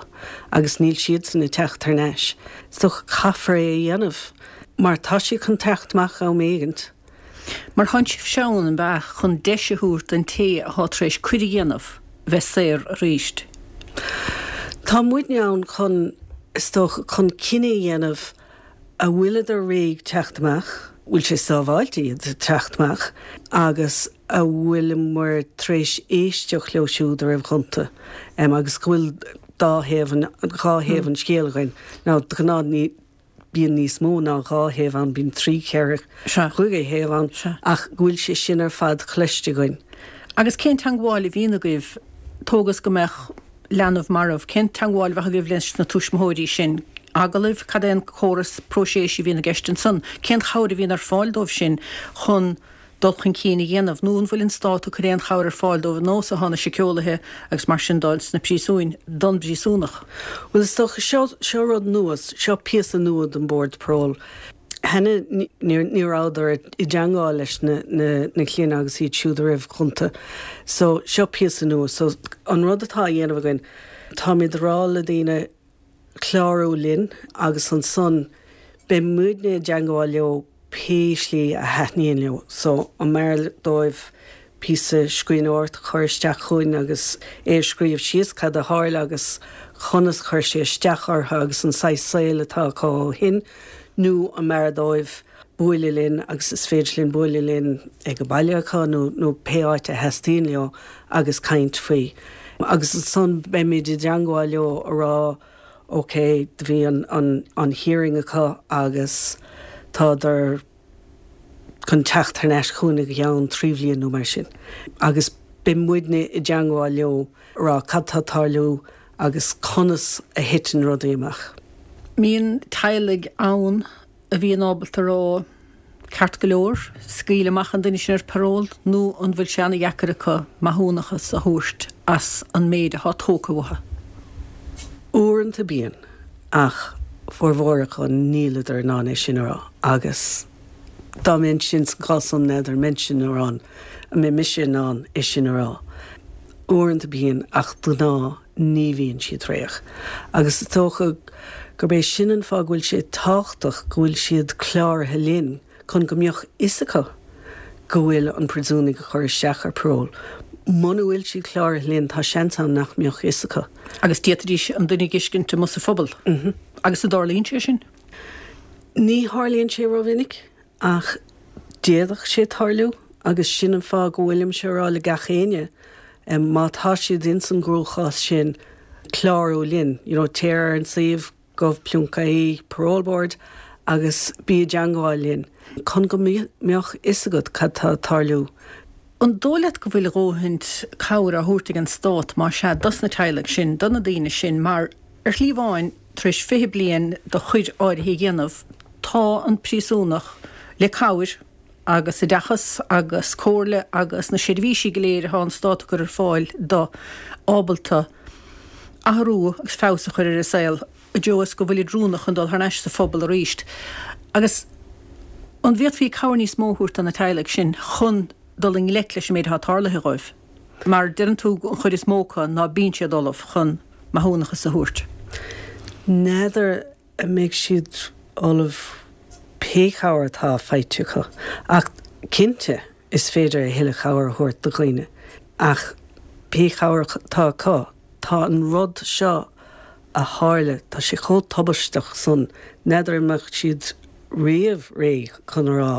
agus níl siadsan ag teacht thar n-ais. So caithfear é a dhéanamh mar tá siad chun teacht amach am éigint. Mar thánn sibhse ann, an ea, chun deis a thabhairt don té atá tar éis coir a dhéanamh bheith saor arís. Tá muidne ann chun, is dócha, chun cinneadh a dhéanamh a bhfuileadar réidh teacht amach, bhfuil sé sábháilte iad teacht amach agus a bhfuileamar tar éis éisteacht leo siúd a raibh gonta agus go bhfuil dá thaobh an, dhá thaobh an scéil againn. Now, de ghnáth ní, bíonn níos mó ná dhá thaobh ann, bíonn trí, ceithre, chúig thaobh ann ach go bhfuil sé sin ar fad cloiste againn. Agus cén teangmháil a bhíonn agaibh, tógas go mbeadh leanbh marbh, cén teangmháil a bheadh agaibh leis na tuismitheoirí sin? Agallaimh? Cad é an córas próiseas a bhíonn i gceist ansan? Cén chabhair a bhíonn ar fáil dóibh sin chun dul chun cinn a dhéanamh, nó an bhfuil an stát ag cur aon chabhair ar fáil dóibh ar nós atá na síceolaithe agus mar sin de sna príosúin don bpríosúnach? Bhuel, is dócha, seo, seo rud nua, seo píosa nua den Bord Parole. Cheana ní rabhadar i dteangmháil leis na, na, na clainne agus iad siúd a raibh gonta. So, seo píosa nua. So, an rud atá á dhéanamh againn, táimid ag rá le daoine clárú linn agus ansan beidh muidne i dteangmháil leo pé slí a thaitníonn leo. So, an mb'fhearr dóibh píosa scríbhneoireacht a chur isteach chugainn agus é a scríobh síos cad a tharla agus conas chuir sé isteach orthu agus an saghas saoil atá acu ó shin, nó an mb'fhearr dóibh bualadh linn agus is féidir linn bualadh linn ag an baile acu nó nó pé áit a theastaíonn leo agus caint faoi. Agus ansan beimid i dteangmháil leo a rá ok, do bhí an an an hearing acu agus tádar chun teacht thar n-ais chugainn i gceann trí bhliain nó mar sin. Agus beidh muidne i dteangmháil leo a rá cad tá ag tarlú agus conas a thiteann rudaí amach. Mbíonn teaghlaigh ann a bhíonn ábalta a rá ceart go leor, scaoil amach an duine sin ar paról nó an bhfuil sé ana-dheacair acu maithiúnachas a thabhairt as an méid atá tógtha uathu? Uaireanta bíonn, ach formhór acu níleadar in ann é sin a rá agus dá mbeinn sin sa gcás san n'fheadar an mbeinnse in ann, an mbeidh mise in ann é sin a rá. Uaireanta bíonn ach de ghnáth ní bhíonn siad réidh. Agus is dócha gurb é sin an fáth go bhfuil sé tábhachtach go bhfuil siad cláraithe linn chun go mbeadh fhios acu go bhfuil an príosúnach á chur isteach ar parole. Muna bhfuil siad cláraithe linn tá seans ann nach mbeadh fhios acu. Agus d'fhéadfaidís an duine a dh'fheiscint amuigh sa phobal. Agus an dtarlaíonn sé sin? Ní tharlaíonn sé rómhinic ach d'fhéadfadh sé tarlú agus sin an fáth go bhfuilimse a rá le gach éinne má tá siad ins an gcruachás sin clárú linn, you know, téir ar an suíomh gov ponc ie parole board agus bí i dteangmháil linn chun go mbeadh fhios agat cad tá ag tarlú. An dóigh leat go bhfuil a dhóthain cabhair á thabhairt ag an stát, más ea, dos na teaghlaigh sin, do na daoine sin, mar ar shlí amháin, tar éis fiche bliain de choir áirithe a dhéanamh, tá an príosúnach le cabhair agus oideachas agus comhairle agus na seirbhísí go léir atá an stát ag cur ar fáil do, ábalta athrú agus feabhas a chur ar a saol i dtreo is go bhfuilid oiriúnach chun dul thar n-ais sa phobal arís. Agus an bhféadfaí cabhair níos mó a thabhairt do na teaghlaigh sin chun dul i ngleic leis an méid atá tarlaithe dhóibh? Mar deireann tú an chuid is mó acu ná bíonn siad ullamh chun maithiúnachas a thabhairt. N'fheadar an mbeidh siad ullamh pé cabhair atá faighte acu. Ach cinnte is féidir a thuilleadh cabhair a thabhairt do dhaoine. Ach pé cabhair atá acu, tá an rud seo a tharla, tá sé chomh tubaisteach san, n'fheadar an mbeadh siad riamh réidh chun a rá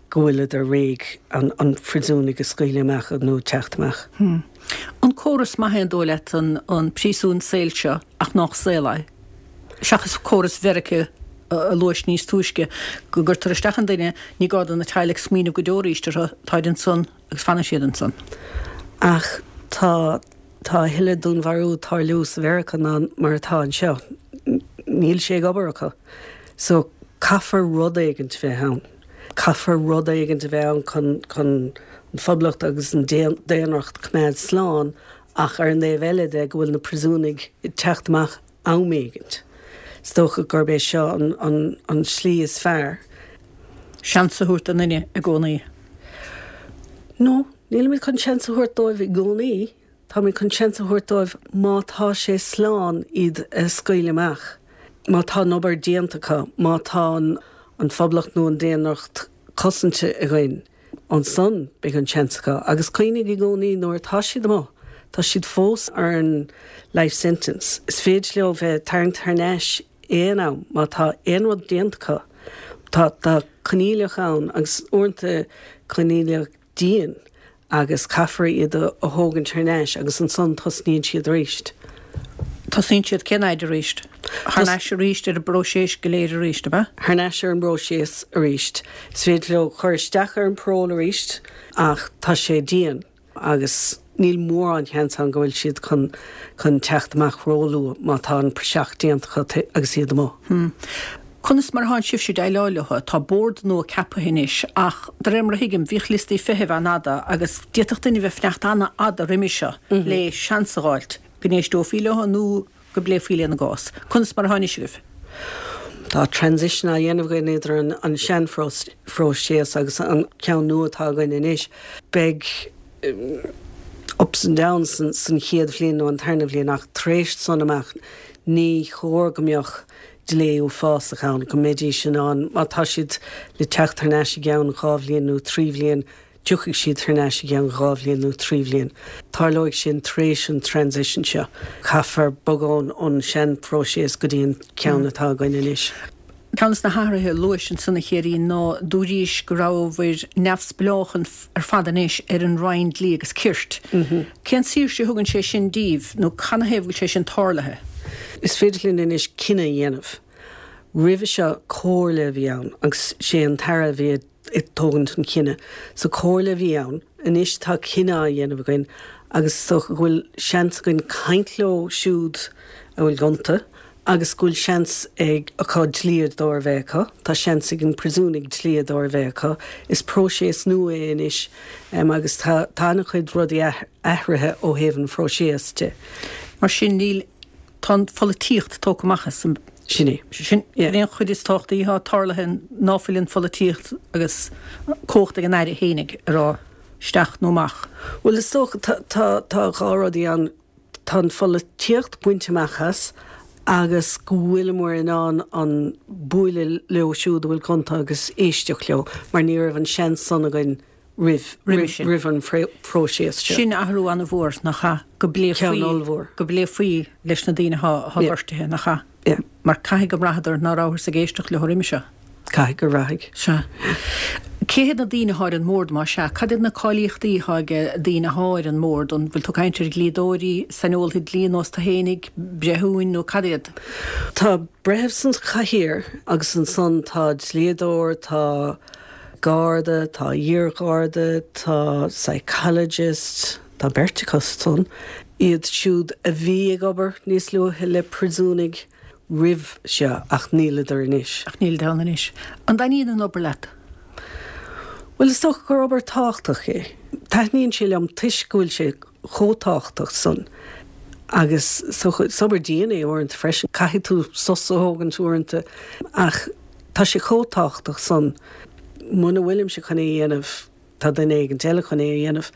go bhfuileadar réidh an an phríosúnaigh a scaoileadh amach nó teacht amach. An córas maith é an dóigh leat an an príosún saoil seo ach nách saol é? Seachas córas Mheiriceá a luais níos túisce, go gcuirtear isteach an duine, ní gá do na teaghlaigh smaoineamh go deo arís orthu, táid ansan agus fanann siad ansan. Ach tá tá a thuilleadh dúnmharú ag tarlú sa Mheiriceá ná mar atá anseo. Níl sé ag obair acu. So caithfear rud éigint bheith ann. Caithfear rud éigint a bheith ann chun chun an phoblacht agus an daonracht coimeád slán ach ar an dtaobh eile de go bhfuil na príosúnaigh ag teacht amach am éigint. Is dócha gurb é seo an an an slí is fearr. Seans a thabhairt don duine i gcónaí. No, nílimid chun seans a thabhairt dóibh i gcónaí. Táimid chun seans a thabhairt dóibh má tá sé slán iad a scaoileadh amach, má tá an obair déanta acu, má tá an phoblacht nó an daonracht cosanta againn, ansan beidh an seans acu. Agus cuimhnigh i gcónaí nuair atá siad amuigh, tá siad fós ar an life sentence. Is féidir leo bheith tarraingthe thar n-ais aon am má tá aon rud déanta acu. Tá tá coinníollacha ann agus uaireanta coinníollacha dian agus caithfear iad a thógaint thar n-ais agus ansan tosnaíonn siad arís. Tosaíonn siad cén fhaid arís? Thar n-ais arís ar an bpróiseas go léir arís, ab ea? Thar n-ais ar an bpróiseas arís. Is féidir leo cur isteach ar an parole arís ach tá sé dian agus níl mórán seans ann go bhfuil siad chun chun teacht amach róluath má tá an praiseach déanta acu agus iad amuigh. Hmm. Conas mar atánn sibhse ag déileáil leo? Tá bord nua ceaptha anois ach de réir mar a thuigim bhíodh liostaí feithimh an-fhada agus d'fhéadfadh duine bheith ag fanacht an-fhada roimhe seo le seans a dh'fháilt go n-éisteofaí leo nó go bpléifí lena gcás. Conas mar atá anois agaibh? Tá transition á dhéanamh againn idir an, an seanphróiseas agus an ceann nua atá againn anois. Beidh ups and downs san, san chéad bhliain nó an tarna bhliain ach tar éis san amach ní chóir go mbeadh delay uafásach ann, go mbeidís in ann, má tá siad le teacht thar n-ais i gceann dhá bhliain nó trí bhliain, tiocfaidh siad thar n-ais i gceann dhá bhliain nó trí bhliain. Tarlóidh sin tar éis an transition seo. Caithfear bogadh ón seanphróiseas go dtí an ceann atá againn anois. Ceann de na hathruithe a luais ansan a Chéirín ná dúraís go rabhabhair neamhspleách ar fad anois ar an Roinn Dlí agus Cirt. Cén saoirse a thugann sé sin díbh nó canathaobh go bhfuil sé sin tarlaithe? Is féidir linn anois cinneadh a dhéanamh. Roimhe seo comhairle a bhí ann agus sé an tAire a bhí ag tógaint an chinneadh. So comhairle a bhí ann, anois tá cinneadh á dhéanamh againn agus is dócha go bhfuil seans againn caint leo siúd a bhfuil gonta agus go bhfuil seans ag acu dlíodóir a bheith acu, tá seans ag an príosúnaigh dlíodóir a bheith acu. Is próiseas nua é anois agus tá tá an-chuid rudaí athraithe ó thaobh an phróiseas de. Mar sin níl tá an pholaitíocht tógtha amach as an. Sin é. Sin é an chuid is tábhachtaí atá tarlaithe ná fuil an pholaitíocht agus cumhacht ag an Aire fhéinig a rá isteach nó amach. Bhuel is dócha tá tá tá dhá rudaí ann. Tá an pholaitíocht bainte amach as agus go bhfuileamar in ann an bualadh leo siúd a bhfuil gonta agus éisteacht leo mar ní raibh an seans san againn roimh roimh an phróiseas seo. Sin athrú an-mhór, nach ea? Go bpléifí go bpléifí leis na daoine atá gortaithe, nach ea? Yeah. Mar caithfidh go mbraitheadar ná rabhthas ag éisteacht leo roimhe seo. Caithfidh gur bhraithfidh. Sea. Cé hiad na daoine atá ar an mbord, más ea? Cad iad na cáilíochtaí atá ag daoine atá ar an mbord? An bhfuil tú ag caint ar dhlíodóirí, saineolaithe dlí ar nós tú fhéinig, breithiúin nó cad iad? Tá breitheamh san chathaoir agus ansan tá dlíodóir, tá garda, tá iar-gharda, tá psychologist, tá beirt acu san, iad siúd a bhí ag obair níos luaithe le príosúnaigh roimh seo ach níleadar anois. Ach nílid ann anois. An dtaitníonn an obair leat? Bhuel, is dócha gur obair tábhachtach é. Taitníonn sé liom toisc go bhfuil sé chomh tábhachtach san. Agus is obair dian é uaireanta freisin. Caithfidh tú sos a thógaint uaireanta. Ach tá sé chomh tábhachtach san. Muna bhfuilimse chun é a dhéanamh, tá duine éigint eile chun é a dhéanamh.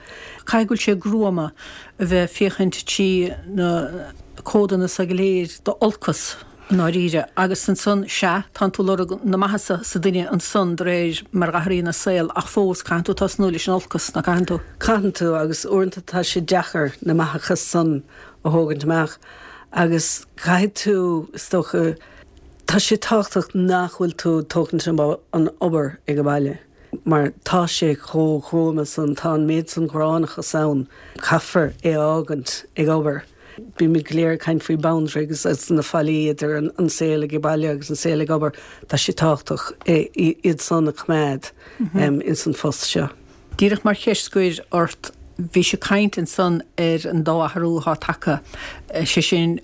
Caithfidh go bhfuil sé gruama a bheith ag féachaint trí na codanna so go léir d'olcas i ndáiríre agus ansan, sea, tánn tú ag lorg na maitheasa sa duine ansan de réir mar a athraíonn a saol ach fós caitheann tú tosnú leis an olcas, ná caitheann tú? Caitheann tú agus uaireanta tá sé deacair na maitheacha san a thógaint amach agus caithfidh tú, is dócha, tá sé tábhachtach nach bhfuil tú ag tógaint an obair ag an baile. Mar tá sé chomh gruama san, tá an méid san gránnachas ann, caithfear é a fhágaint ag obair. Bímid go léir ag caint faoi boundary agus na fallaí idir an saol ag baile agus an saol ag obair, tá sé tábhachtach iad san a choimeád ins an phost seo. Díreach mar cheist scoir ort, bhís ag caint ansan ar an dá athrú atá tagtha, sé sin,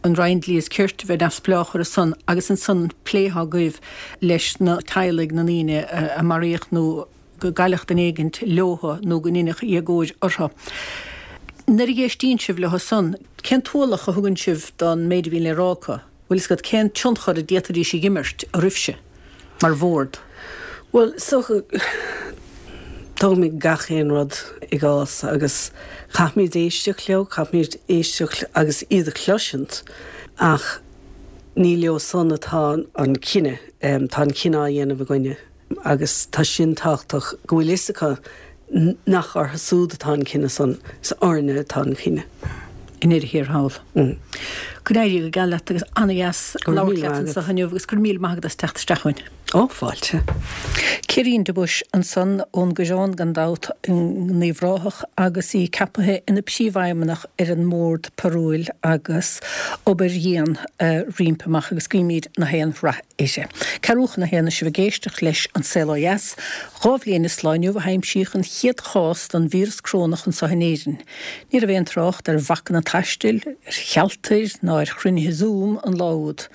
an Roinn Dlí is Cirt a bheith neamhspleách orthu san agus ansan an plé atá agaibh leis na teaghlaigh na ndaoine a maraíodh nó go gcailleadh duine éigint leothu nó go ndeineadh éagóir orthu. Nuair a éistíonn sibh leo san, cén t-ualach a thugann sibh don méid a bhíonn le rá acu? Bhfuil fhios agat cén tionchar a d'fhéadfaidís a imirt oraibhse mar bhord? Bhuel, is dócha, tógaimid gach aon rud i gcás agus caithfimid éisteacht leo, caithfimid éisteacht agus iad a chloisint ach ní leo san atá an cinneadh, tá an cinneadh á dhéanamh againne agus tá sin tábhachtach go bhfuil fhios acu nach orthu súd atá an cinneadh san, is orainne atá an cinneadh. I ndeireadh thiar thall. Go n-éirí go geal leat agus ana-dheas labhairt leat anseo inniu agus go raibh míle maith agat as teacht isteach chugainn. Ó, fáilte. Caoirín de Buis ansan ón gCoireán gan dabht in Uíbh Ráthach agus í ceapaithe ina Príomhfheidhmeannach ar an mBord Parúil agus obair dhian roimpi amach agus guímid na haon rath uirthi. Ceathrú chun a haon is sibh ag éisteacht leis An Saol Ó Dheas. Dhá bhliain is lá inniu a haimsíodh an chéad chás den víreas corónach anseo in Éirinn. Ní raibh aon trácht ar bhacanna taistil, ar shealtair ná ar chruinnithe Zoom an lá úd.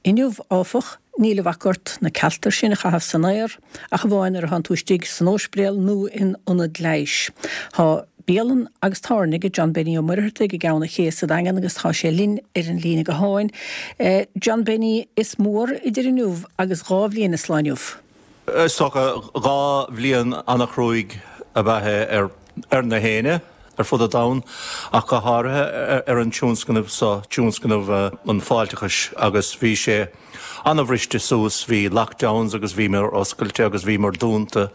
Inniu, áfach, Níl a bhac ort na cealtair sin a chaitheamh san aer, ach amháin nuair atánn tú istigh san óispidéal nó in ionad leighis. Tá bialann agus tábhairne ag John Benny Ó Muircheartaigh i gCeann an Ché sa Daingean agus tá sé linn ar an líne gutháin. John Benny, is mór idir inniu agus dhá bhliain is lá inniu. Is dócha dhá bhliain an-chruaidh ab ea é ar ar na héinne ar fud an domhain, ach go háirithe ar an tionscnamh seo, tionscnamh an fáilteachais, agus bhí sé an-bhriste suas, bhí lockdowns agus bhíomar oscailte agus bhíomar dúnta.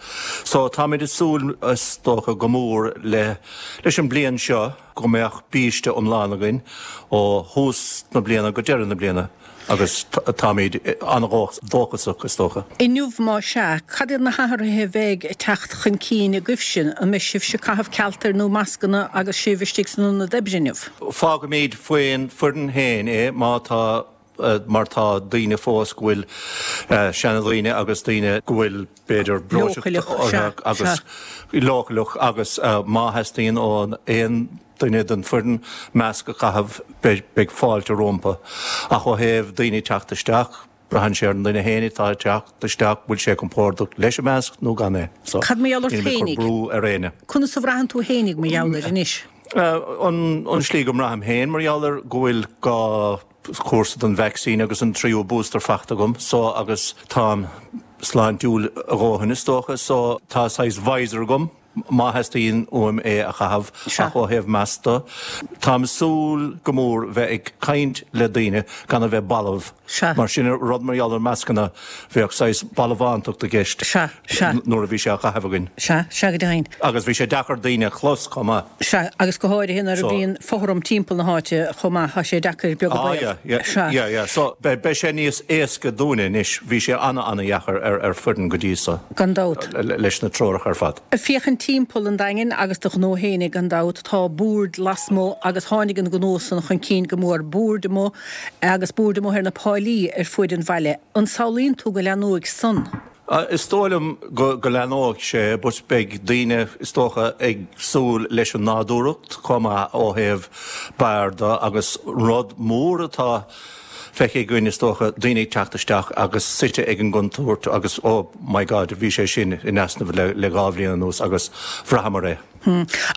So táimid ag súil is dócha go mór le leis an bliain seo go mbeadh biaiste iomlán againn ó thús na bliana go deireadh na bliana. Agus táimid an-dóchasach, is dócha. Inniu, más ea, cad iad na hathruithe a bheidh ag teacht chun cinn agaibhse? An mbeidh sibhse ag caitheamh cealtair nó mascanna agus sibh istigh san ionad oibre inniu? Fágfaimid faoin foireann féin é má tá, mar tá daoine fós go bhfuil, seanadhaoine agus daoine go bhfuil b'fhéidir breoiteacht orthu agus leochaileach agus má theastaíonn ó aon duine den foireann masc a chaitheamh, beidh fáilte rompu. Ach ó thaobh daoine teacht isteach, braitheann sé ar an duine féin atá ag teacht isteach, bhfuil sé compordach leis an masc nó gan é. So, Cad mar gheall ort níl mé ag cur brú ar éinne. Conas a bhraitheann tú fhéinig mar gheall air anois? An slí go mbraithim féin mar gheall air go bhfuil dhá chúrsa den vacsaín agus an tríú booster faighte agam, so agus táim sláintiúil a dhóthain is dócha, so tá saghas visor agam. má theastaíonn uaim é a chaitheamh, ach ó thaobh masc de, táim ag súil go mór bheith ag caint le daoine gan a bheith balbh, mar sin rud mar gheall ar mascanna, bheadh saghas balbhántacht i gceist nuair a bhí sé á chaitheamh againn. Sea, sea go deimhin. Agus bhí sé deacair daoine a chlos chomh maith. Sea, agus go háirithe nuair a bhíonn fothram timpeall na háite chomh maith, tá sé deacair beag an baol. Ah yeah, yeah, yeah, yeah. So beidh sé níos éasca dúinne anois, bhí sé ana-ana-dheacair ar foireann go dtí so. Gan dabht. Leis na treoracha ar fad. Féachaint timpeall an Daingin agus do ghnó fhéinig gan dabht, tá boird lasmuigh agus tháinig an gnó san chun cinn go mór, boird amuigh agus boird amuigh ar na páilí ar fuaid an bhaile. An samhlaíonn tú go leathnóidh san? Is dóigh liom go leathnóidh sé but beidh daoine is dócha ag súil leis an nádúrthacht chomh maith ó thaobh beáir de agus rud mór atá feicthe againn, is dócha, daoine ag teacht isteach agus suite ag an gcontúirt agus oh my God, bhí sé sin in easnamh le dhá bhliain anuas agus bhraitheamar é.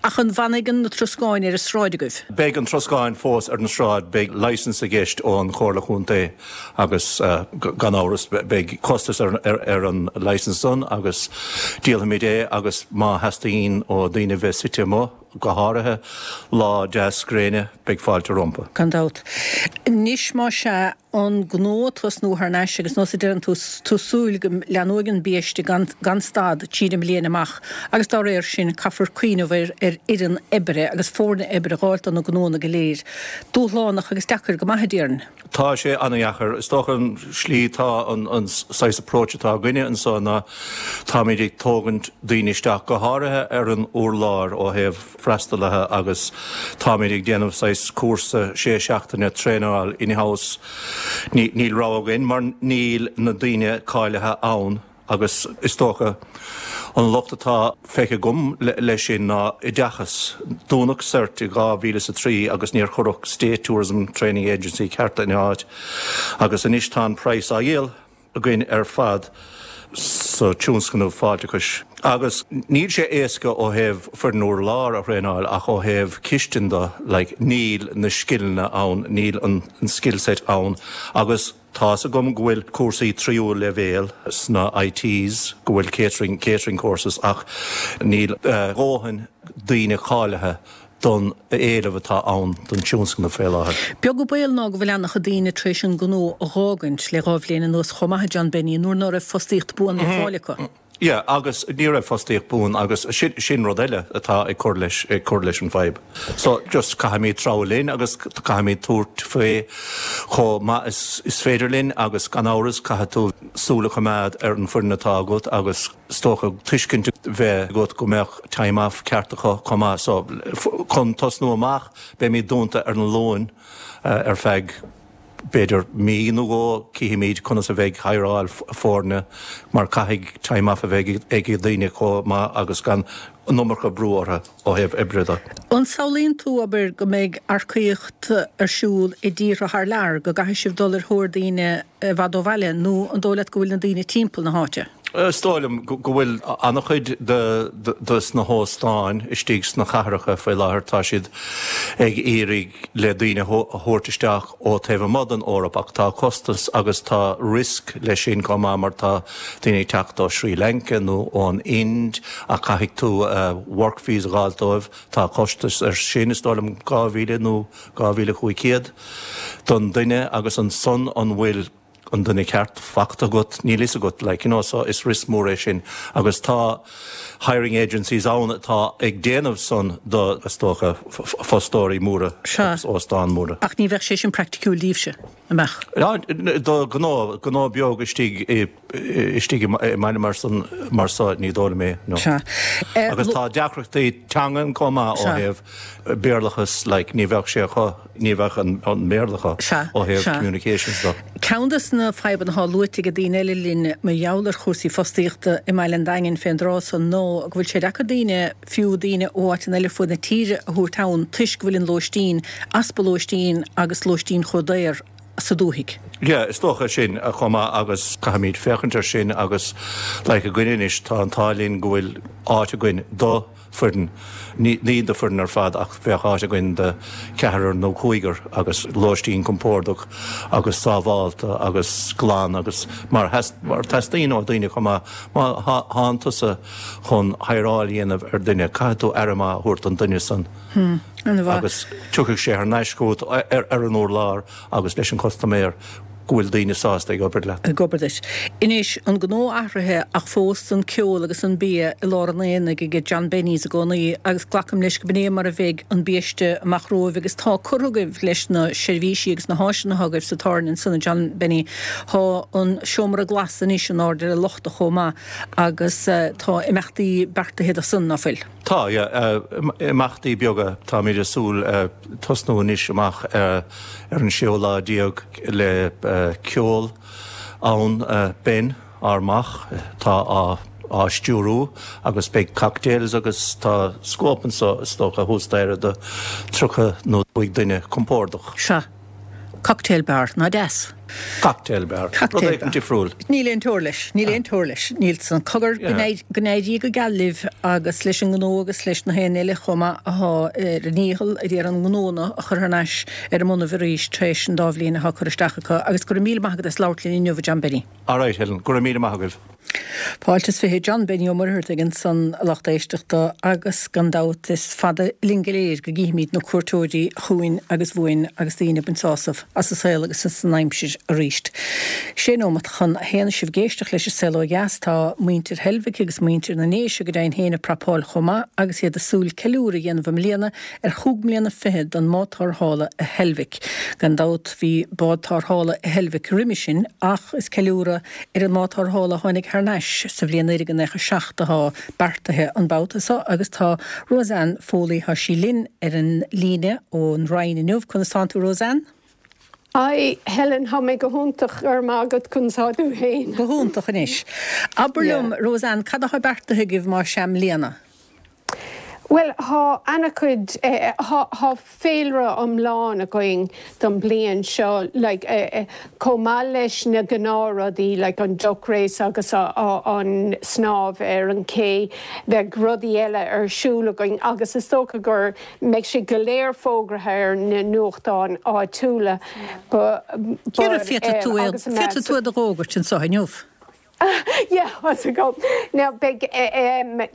Ach an bhfanfaidh na troscáin ar an sráid agaibh? Beidh an troscáin fós ar an sráid, beidh licence i gceist ón Chomhairle Chontae agus gan amhras beidh costas ar an licence san agus díolfaimid é agus má theastaíonn ó daoine bheith suite amuigh, go háirithe lá deas gréine, beidh fáilte rompu. Gan dabht. Anois más ea, an gnó ag tosnú thar n-ais agus nós a deireann tú, tú súil go leathnóidh an biaiste gan gan stad tríd an mbliain amach agus dá réir sin caithfear cuimhneamh ar ar fhoireann oibre agus foirne oibre a dh'fháilt do na gnónna go léir. Dúshlánach agus deacair go maith a déarfainn. Tá sé an-dheacair. Is dócha an slí atá an an saghas approach atá againne anso ná táimid ag tógaint daoine isteach, go háirithe ar an urlár ó thaobh freastalaithe agus táimid ag déanamh saghas cúrsa sé seachtaine traenáil in-house. Níl rogha againn mar níl na daoine cáilithe ann agus is dócha an locht atá feicthe agam leis sin ná oideachas. Dúnadh CERT i dhá mhíle is a trí agus níor cuireadh State Tourism Training Agency ceart ina áit agus anois tá an praghas á dhíol againn ar fad sa tionscnamh fáilteachais. Agus níl sé éasca ó thaobh foireann urláir a thraenáil ach ó thaobh cistine de, like, níl na scileanna ann, níl an skill set ann agus tá's agam go bhfuil cúrsaí tríú leibhéal sna ITs, go bhfuil catering, catering courses ach níl dhóthain daoine cáilithe don éileamh atá ann don tionscnamh fé láthair. Beag an baol ná go bhfuil an-chuid daoine tar éis an gnó a dh'fhágaint le dhá bhliain anuas chomh maith, a John Benny, nuair ná raibh fostaíocht buan le fáil acu. Yeah, agus ní raibh fostaíocht buan agus sin, sin rud eile atá ag cur leis, ag cur leis an bhfadhb. So just caithfimid treabhadh linn agus caithfimid tabhairt faoi chomh maith is, is féidir linn agus gan amhras caithfidh tú súil a choimeád ar an bhfoireann atá agat agus is dócha tuiscint a bheith agat go mbeadh time off ceart acu chomh maith. So chun tosnú amach beimid dúnta ar an Luan ar feadh b'fhéidir mí nó dhó cífimid conas a bheidh hireáil foirne mar caithfidh time off a bheith ag daoine chomh maith agus gan an iomarca brú orthu ó thaobh oibre de. An samhlaíonn tú, abair, go mbeidh earcaíocht ar siúl i dtíortha thar lear, go gcaithfidh sibh dul ar thóir daoine i bhfad ó bhaile, nó an dóigh leat go bhfuil na daoine timpeall na háite? Is dóigh liom go bhfuil an-chuid de na hóstáin istigh sna cathracha faoi láthair, tá siad ag iarraidh le daoine a thabhairt isteach ó taobh amuigh den Eoraip ach tá costas agus tá risk leis sin chomh maith mar tá daoine ag teacht ó Sri Lanka nó ón Ind ach caithfidh tú work visa a fháil dóibh, tá costas ar sin, is dóigh liom dhá mhíle nó dhá mhíle chúig chéad don duine agus ansan an bhfuil an duine ceart fachta agat, níl fhios agat, like, you know, so is risk mór é sin agus tá hiring agencies ann atá ag déanamh san do, is dócha, fostóirí móra agus óstáin móra. Ach ní bheadh sé sin praiticiúil daoibhse, an mbeadh? Do gnó, gnó beag istigh i, istigh i mbaile mar san, mar so, ní dóigh liom é, no. Sea. Agus tá deacrachtaí teangan chomh maith ó thaobh Béarlachas, like, ní bheadh sé acu, ní bheadh an Béarla acu ó thaobh communications de. Ceann de na fadhbanna atá luaite ag daoine eile linn mar gheall ar chúrsaí fostaíochta i mBaile an Daingin fén dtráth so ná go bhfuil sé deacair daoine, fiú daoine ó áiteanna eile ar fud na tíre, a thabhairt ann toisc go bhfuil an lóistín, easpa lóistín agus lóistín chomh daor sa dúthaigh. Yeah, is dócha sin chomh maith agus caithfimid féachaint air sin agus like againn anois tá an t-ádh linn go bhfuil áit againn do foireann, ní do foireann ar fad ach bheadh áit againn do cheathrar nó cúigear agus lóistín compordach agus sábhálta agus glan agus mar mar teastaíonn ó daoine chomh maith má thánn tusa chun hireáil a dhéanamh ar duine caithfidh tú aire maith a thabhairt don duine san agus tiocfaidh sé thar n-ais chugat ar an urlár agus leis an custaiméir go bhfuil daoine sásta ag obair leat. Ag obair duit. Anois, an gnó athraithe ach fós an ceol agus an bia i lár an aonaigh ag John Benny's i gcónaí agus glacaim leis go b'in é mar a bheidh an biaiste amach romhaibh agus tá curtha agaibh leis na seirbhísí agus na háiseanna atá agaibh sa tábhairne ansan a John Benny. Tá an seomra glas anois in airde ar an lochta chomh maith agus tá imeachtaí beartaithe do san, ná fuil? Tá, yeah. Imeachtaí beaga. Táimid ag súil tosnú anois amach ar an séú lá déag le ceol ann. Ben, ár mac, atá á á stiúrú agus beidh cocktails agus tá scóip anso is dócha thuas staighre do tríocha nó cúig duine compordach. Sea. Cocktail bar, ná deas. Cocktail bar. Rud éigin difriúil. Níl aon teora leis. Níl aon teora leis. Níl san. Cogar, go n-éirí go geal libh agus leis an ngnó agus leis na haon eile chomh maith athá ar a ndícheall ag iarraidh an gnónna a chur thar n-ais ar a mbonnaibh arís tar éis an dá bhliain athá curtha isteach acu. Agus go raibh míle maith agat as labhairt linn inniu, a John Benny. Alright, Helen. Go raibh míle maith agaibh. Fáilte is fiche John Benny Ó Muircheartaigh ansan a lucht éisteachta agus gan dabht is fada linn go léir go gcífimid na cuairteoirí chugainn agus uainn agus daoine ag baint sásamh as an saol agus as an aimsir arís. Sé nóimeat chun a haon sibh ag éisteacht leis an Saol Ó Dheas. Tá muintir Heilbhic agus muintir na nDéise go deimhin féin ag prapáil chomh maith agus iad ag súil ceiliúradh a dhéanamh i mbliana ar chúig mbliana fichead don mbád tarrthála i Heilbhic. Gan dabht bhí bád tarrthála i Heilbhic roimhe sin ach is ceiliúradh ar an mbád tarrthála a tháinig thar n-ais sa bhliain naoi déag naocha seacht atá beartaithe an babhta seo agus tá Roseanne Foley, tá sí linn ar an líne ón Rinn inniu. Conas tánn tú Roseanne? Hi Helen, tá mé go hiontach, go raibh maith agat, conas tá tú féin? Go hiontach anois. Abair liom Roseanne, cad atá beartaithe agaibh más ea i mbliana? Bhuel, tá ana-chuid, tá féilire iomlán againn don bliain seo, like, chomh maith leis na gnáthrudaí, like an duck race agus an snámh ar an ché, bheidh rudaí eile ar siúl againn agus is dócha gur mbeidh sé go léir fógraithe ar na nuachtáin áitiúla. Ciara, féadfaidh tú é, féadfaidh tú é d'fhógairt anseo inniu. Yeah, how's it go? Now beidh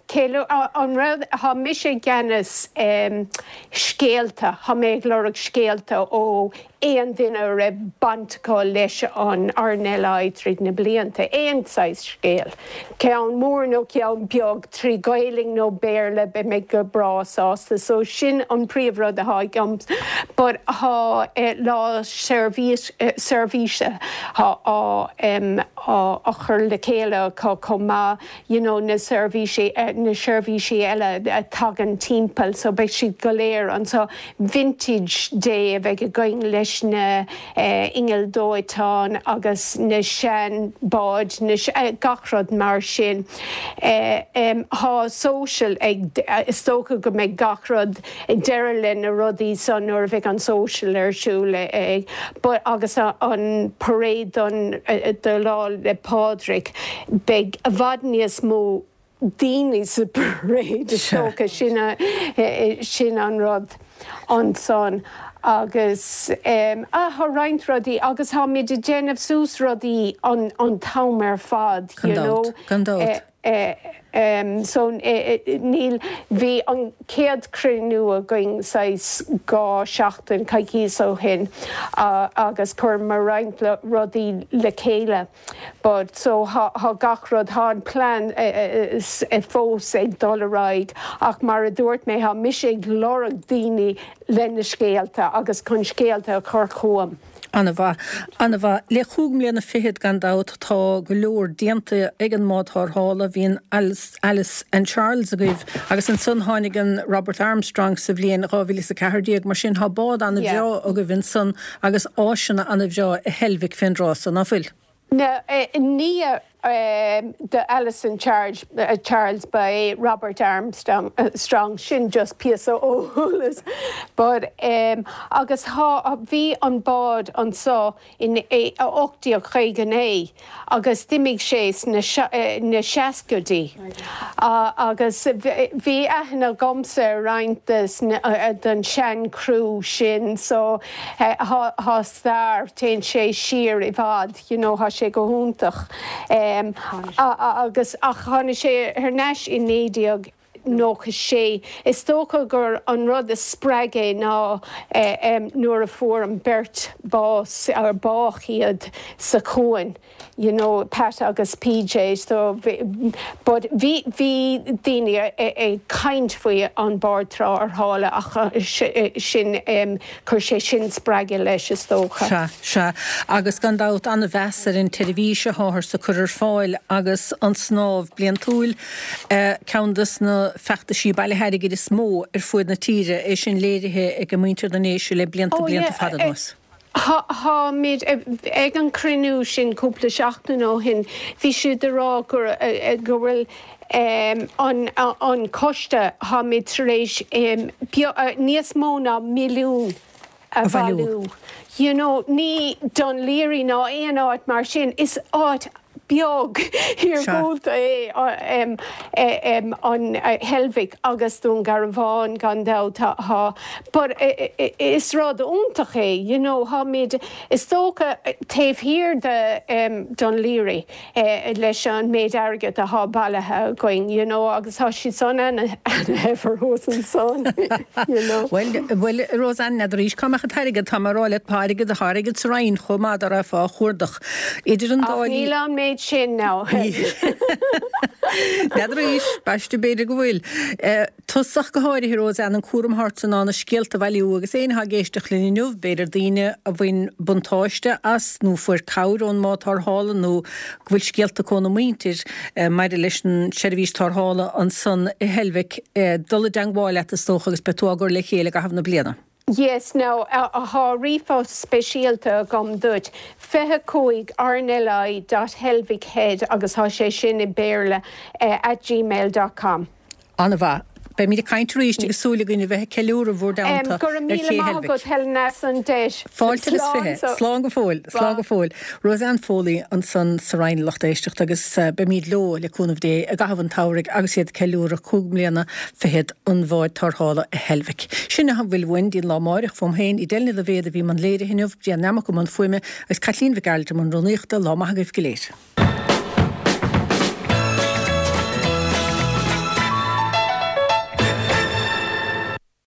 ceiliú an rud tá mise i gceannas scéalta, tá mé ag lorg scéalta ó aon duine a raibh baint acu leis an RNLI tríd na blianta, aon saghas scéal, ceann mór nó ceann beag, trí Ghaelainn nó Béarla, beidh mé go breá sásta. So sin an príomhrud atá agam. But tá lá seirbhíse á á chur le chéile acu chomh maith, you know na seirbhísí, na seirbhísí eile a tagann timpeall, so beidh siad go léir anseo. Vintage Day a bheidh againn leis leis na innill dóiteáin agus na sean báid na gach rud mar sin. Tá social ag is dócha go mbeidh gach rud deireadh le na rudaí san nuair a bheidh an social ar siúl ag but agus an parade don do Lá 'le Pádraig beidh i bhfad níos mó daoine sa parade is dócha sin sin an rud ansan agus um, ah, tá roinnt rudaí agus táimid ag déanamh suas rudaí an, an t-am ar fad you know. Gan dabht. Uh, um, so uh, níl bhí an céad cruinniú againn saghas dhá seachtain coicís ó shin uh, agus chuir roinnt le rudaí le chéile. But so tá gach rud tá an plean uh, uh, fós ag dul ar aghaidh ach mar a dúirt mé tá mise ag lorg daoine lena scéalta agus chun scéalta a chur chugam. An-mhaith. An-mhaith. Le cúig mbliana fichead gan dabht tá go leor déanta ag an mbád tarrthála bhí an Alice, Alice and Charles agaibh agus ansan tháinig an Robert Armstrong sa bhliain dhá mhíle is a ceathair déag mar sin tá bád an-bhreá agaibh ansan agus áiseanna an-bhreá i Heilbhic fén dtráth so, ná fuil? Na, nia do Alice and Charles, uh, Charles ba é Robert Armstrong uh, Strong sin just píosa eolais. But um, agus ha, bhí an bád anso in ocht déag caoga naoi agus d'imigh sé na, na seascaidí. Uh, agus bhí aithne agamsa roinnt den sean crew sin so tá stair téann sé siar i bhfad you know, tá sé go hiontach. Um, agus ach tháinig sé thar n-ais i naoi déag nócha sé. Is dócha gur an rud a spreag é ná nuair a fuair an beirt bás ar bádh iad sa chuan. You know, Pat agus PJ so but bhí bhí daoine ag caint faoi an bád tarrthála ach sin um, chuir sé sin spreagadh leis is dócha. Sea, sea. Agus gan dabht an-mheas ar an tseirbhís atáthar ag cur ar fáil agus an snámh bliantúil uh, ceann des na feachtaisí bailithe airgid is mó ar fuaid na tíre é sin léirithe ag muintir na nDéise le blianta oh, blianta fada anuas. Táimid ag an cruinniú sin cúpla seachtain ó shin, bhí siad ag rá go go bhfuil an an coiste táimid tar éis níos mó ná milliún a bhailiú. You know, ní Dún Laoghaire ná aon áit mar sin is áit beag iargúlta é an Heilbhic agus Dún Garbhán gan dabht tá. But is rud iontach é, you know, táimid is dócha taobh thiar de Dún Laoghaire leis an méid airgead atá bailithe againn, you know, agus tá siad san an-shaibhir ansan, you know. Well, well, Roseanne n'fheadar arís cá mbeadh an t-airgead tá mar le páirgead a tháirgead sa Roinn chomh maith dá raibh á chuardach. Idir an dá Níl an méid sin ná. N'fheadar arís, b'aisteach b'fhéidir go bhfuil. Tosach go háirithe Roseanne an cúram thart san ná na scéalta a bhailiú agus éinne atá ag éisteacht linn inniu, b'fhéidir daoine a bhain buntáiste as nó fuair cabhair ón mbád tarrthála nó go bhfuil scéalta acu óna muintir maidir leis an seirbhís tarrthála ansan i Heilbhic dul i dteangmháil leat is dócha agus beidh tú á gcur le chéile i gcaitheamh na bliana. Yes, now, tá ríomhphost speisialta agam duit. Fiche cúig rnli dot heilbhichead agus tá sé sin i Béarla at gmail dot com. An-mhaith. Beimid ag caint arís agus súil againn a bheith ag ceiliúradh bhur dteannta Go raibh míle maith agat Helen as an deis. Fáilte agus fiche. Slán go fóill. Slán go fóill. Roseanne Foley ansan sa Rinn lucht éisteachta agus beimid leo le cúnamh Dé i gcaitheamh an tsamhraidh agus iad ag ceiliúradh cúig mbliana fichead an bháid tarrthála i Heilbhic. Sin a bhfuil uainn dtí'n lá amáireach fóm féin Edel Ní Loibhéad a bhí i mbun léirithe inniu, Brian Nammock i mbun fuaime agus Caitlín Mhic Gearailt i mbun rúnaíochta. Lá maith agaibh go léir.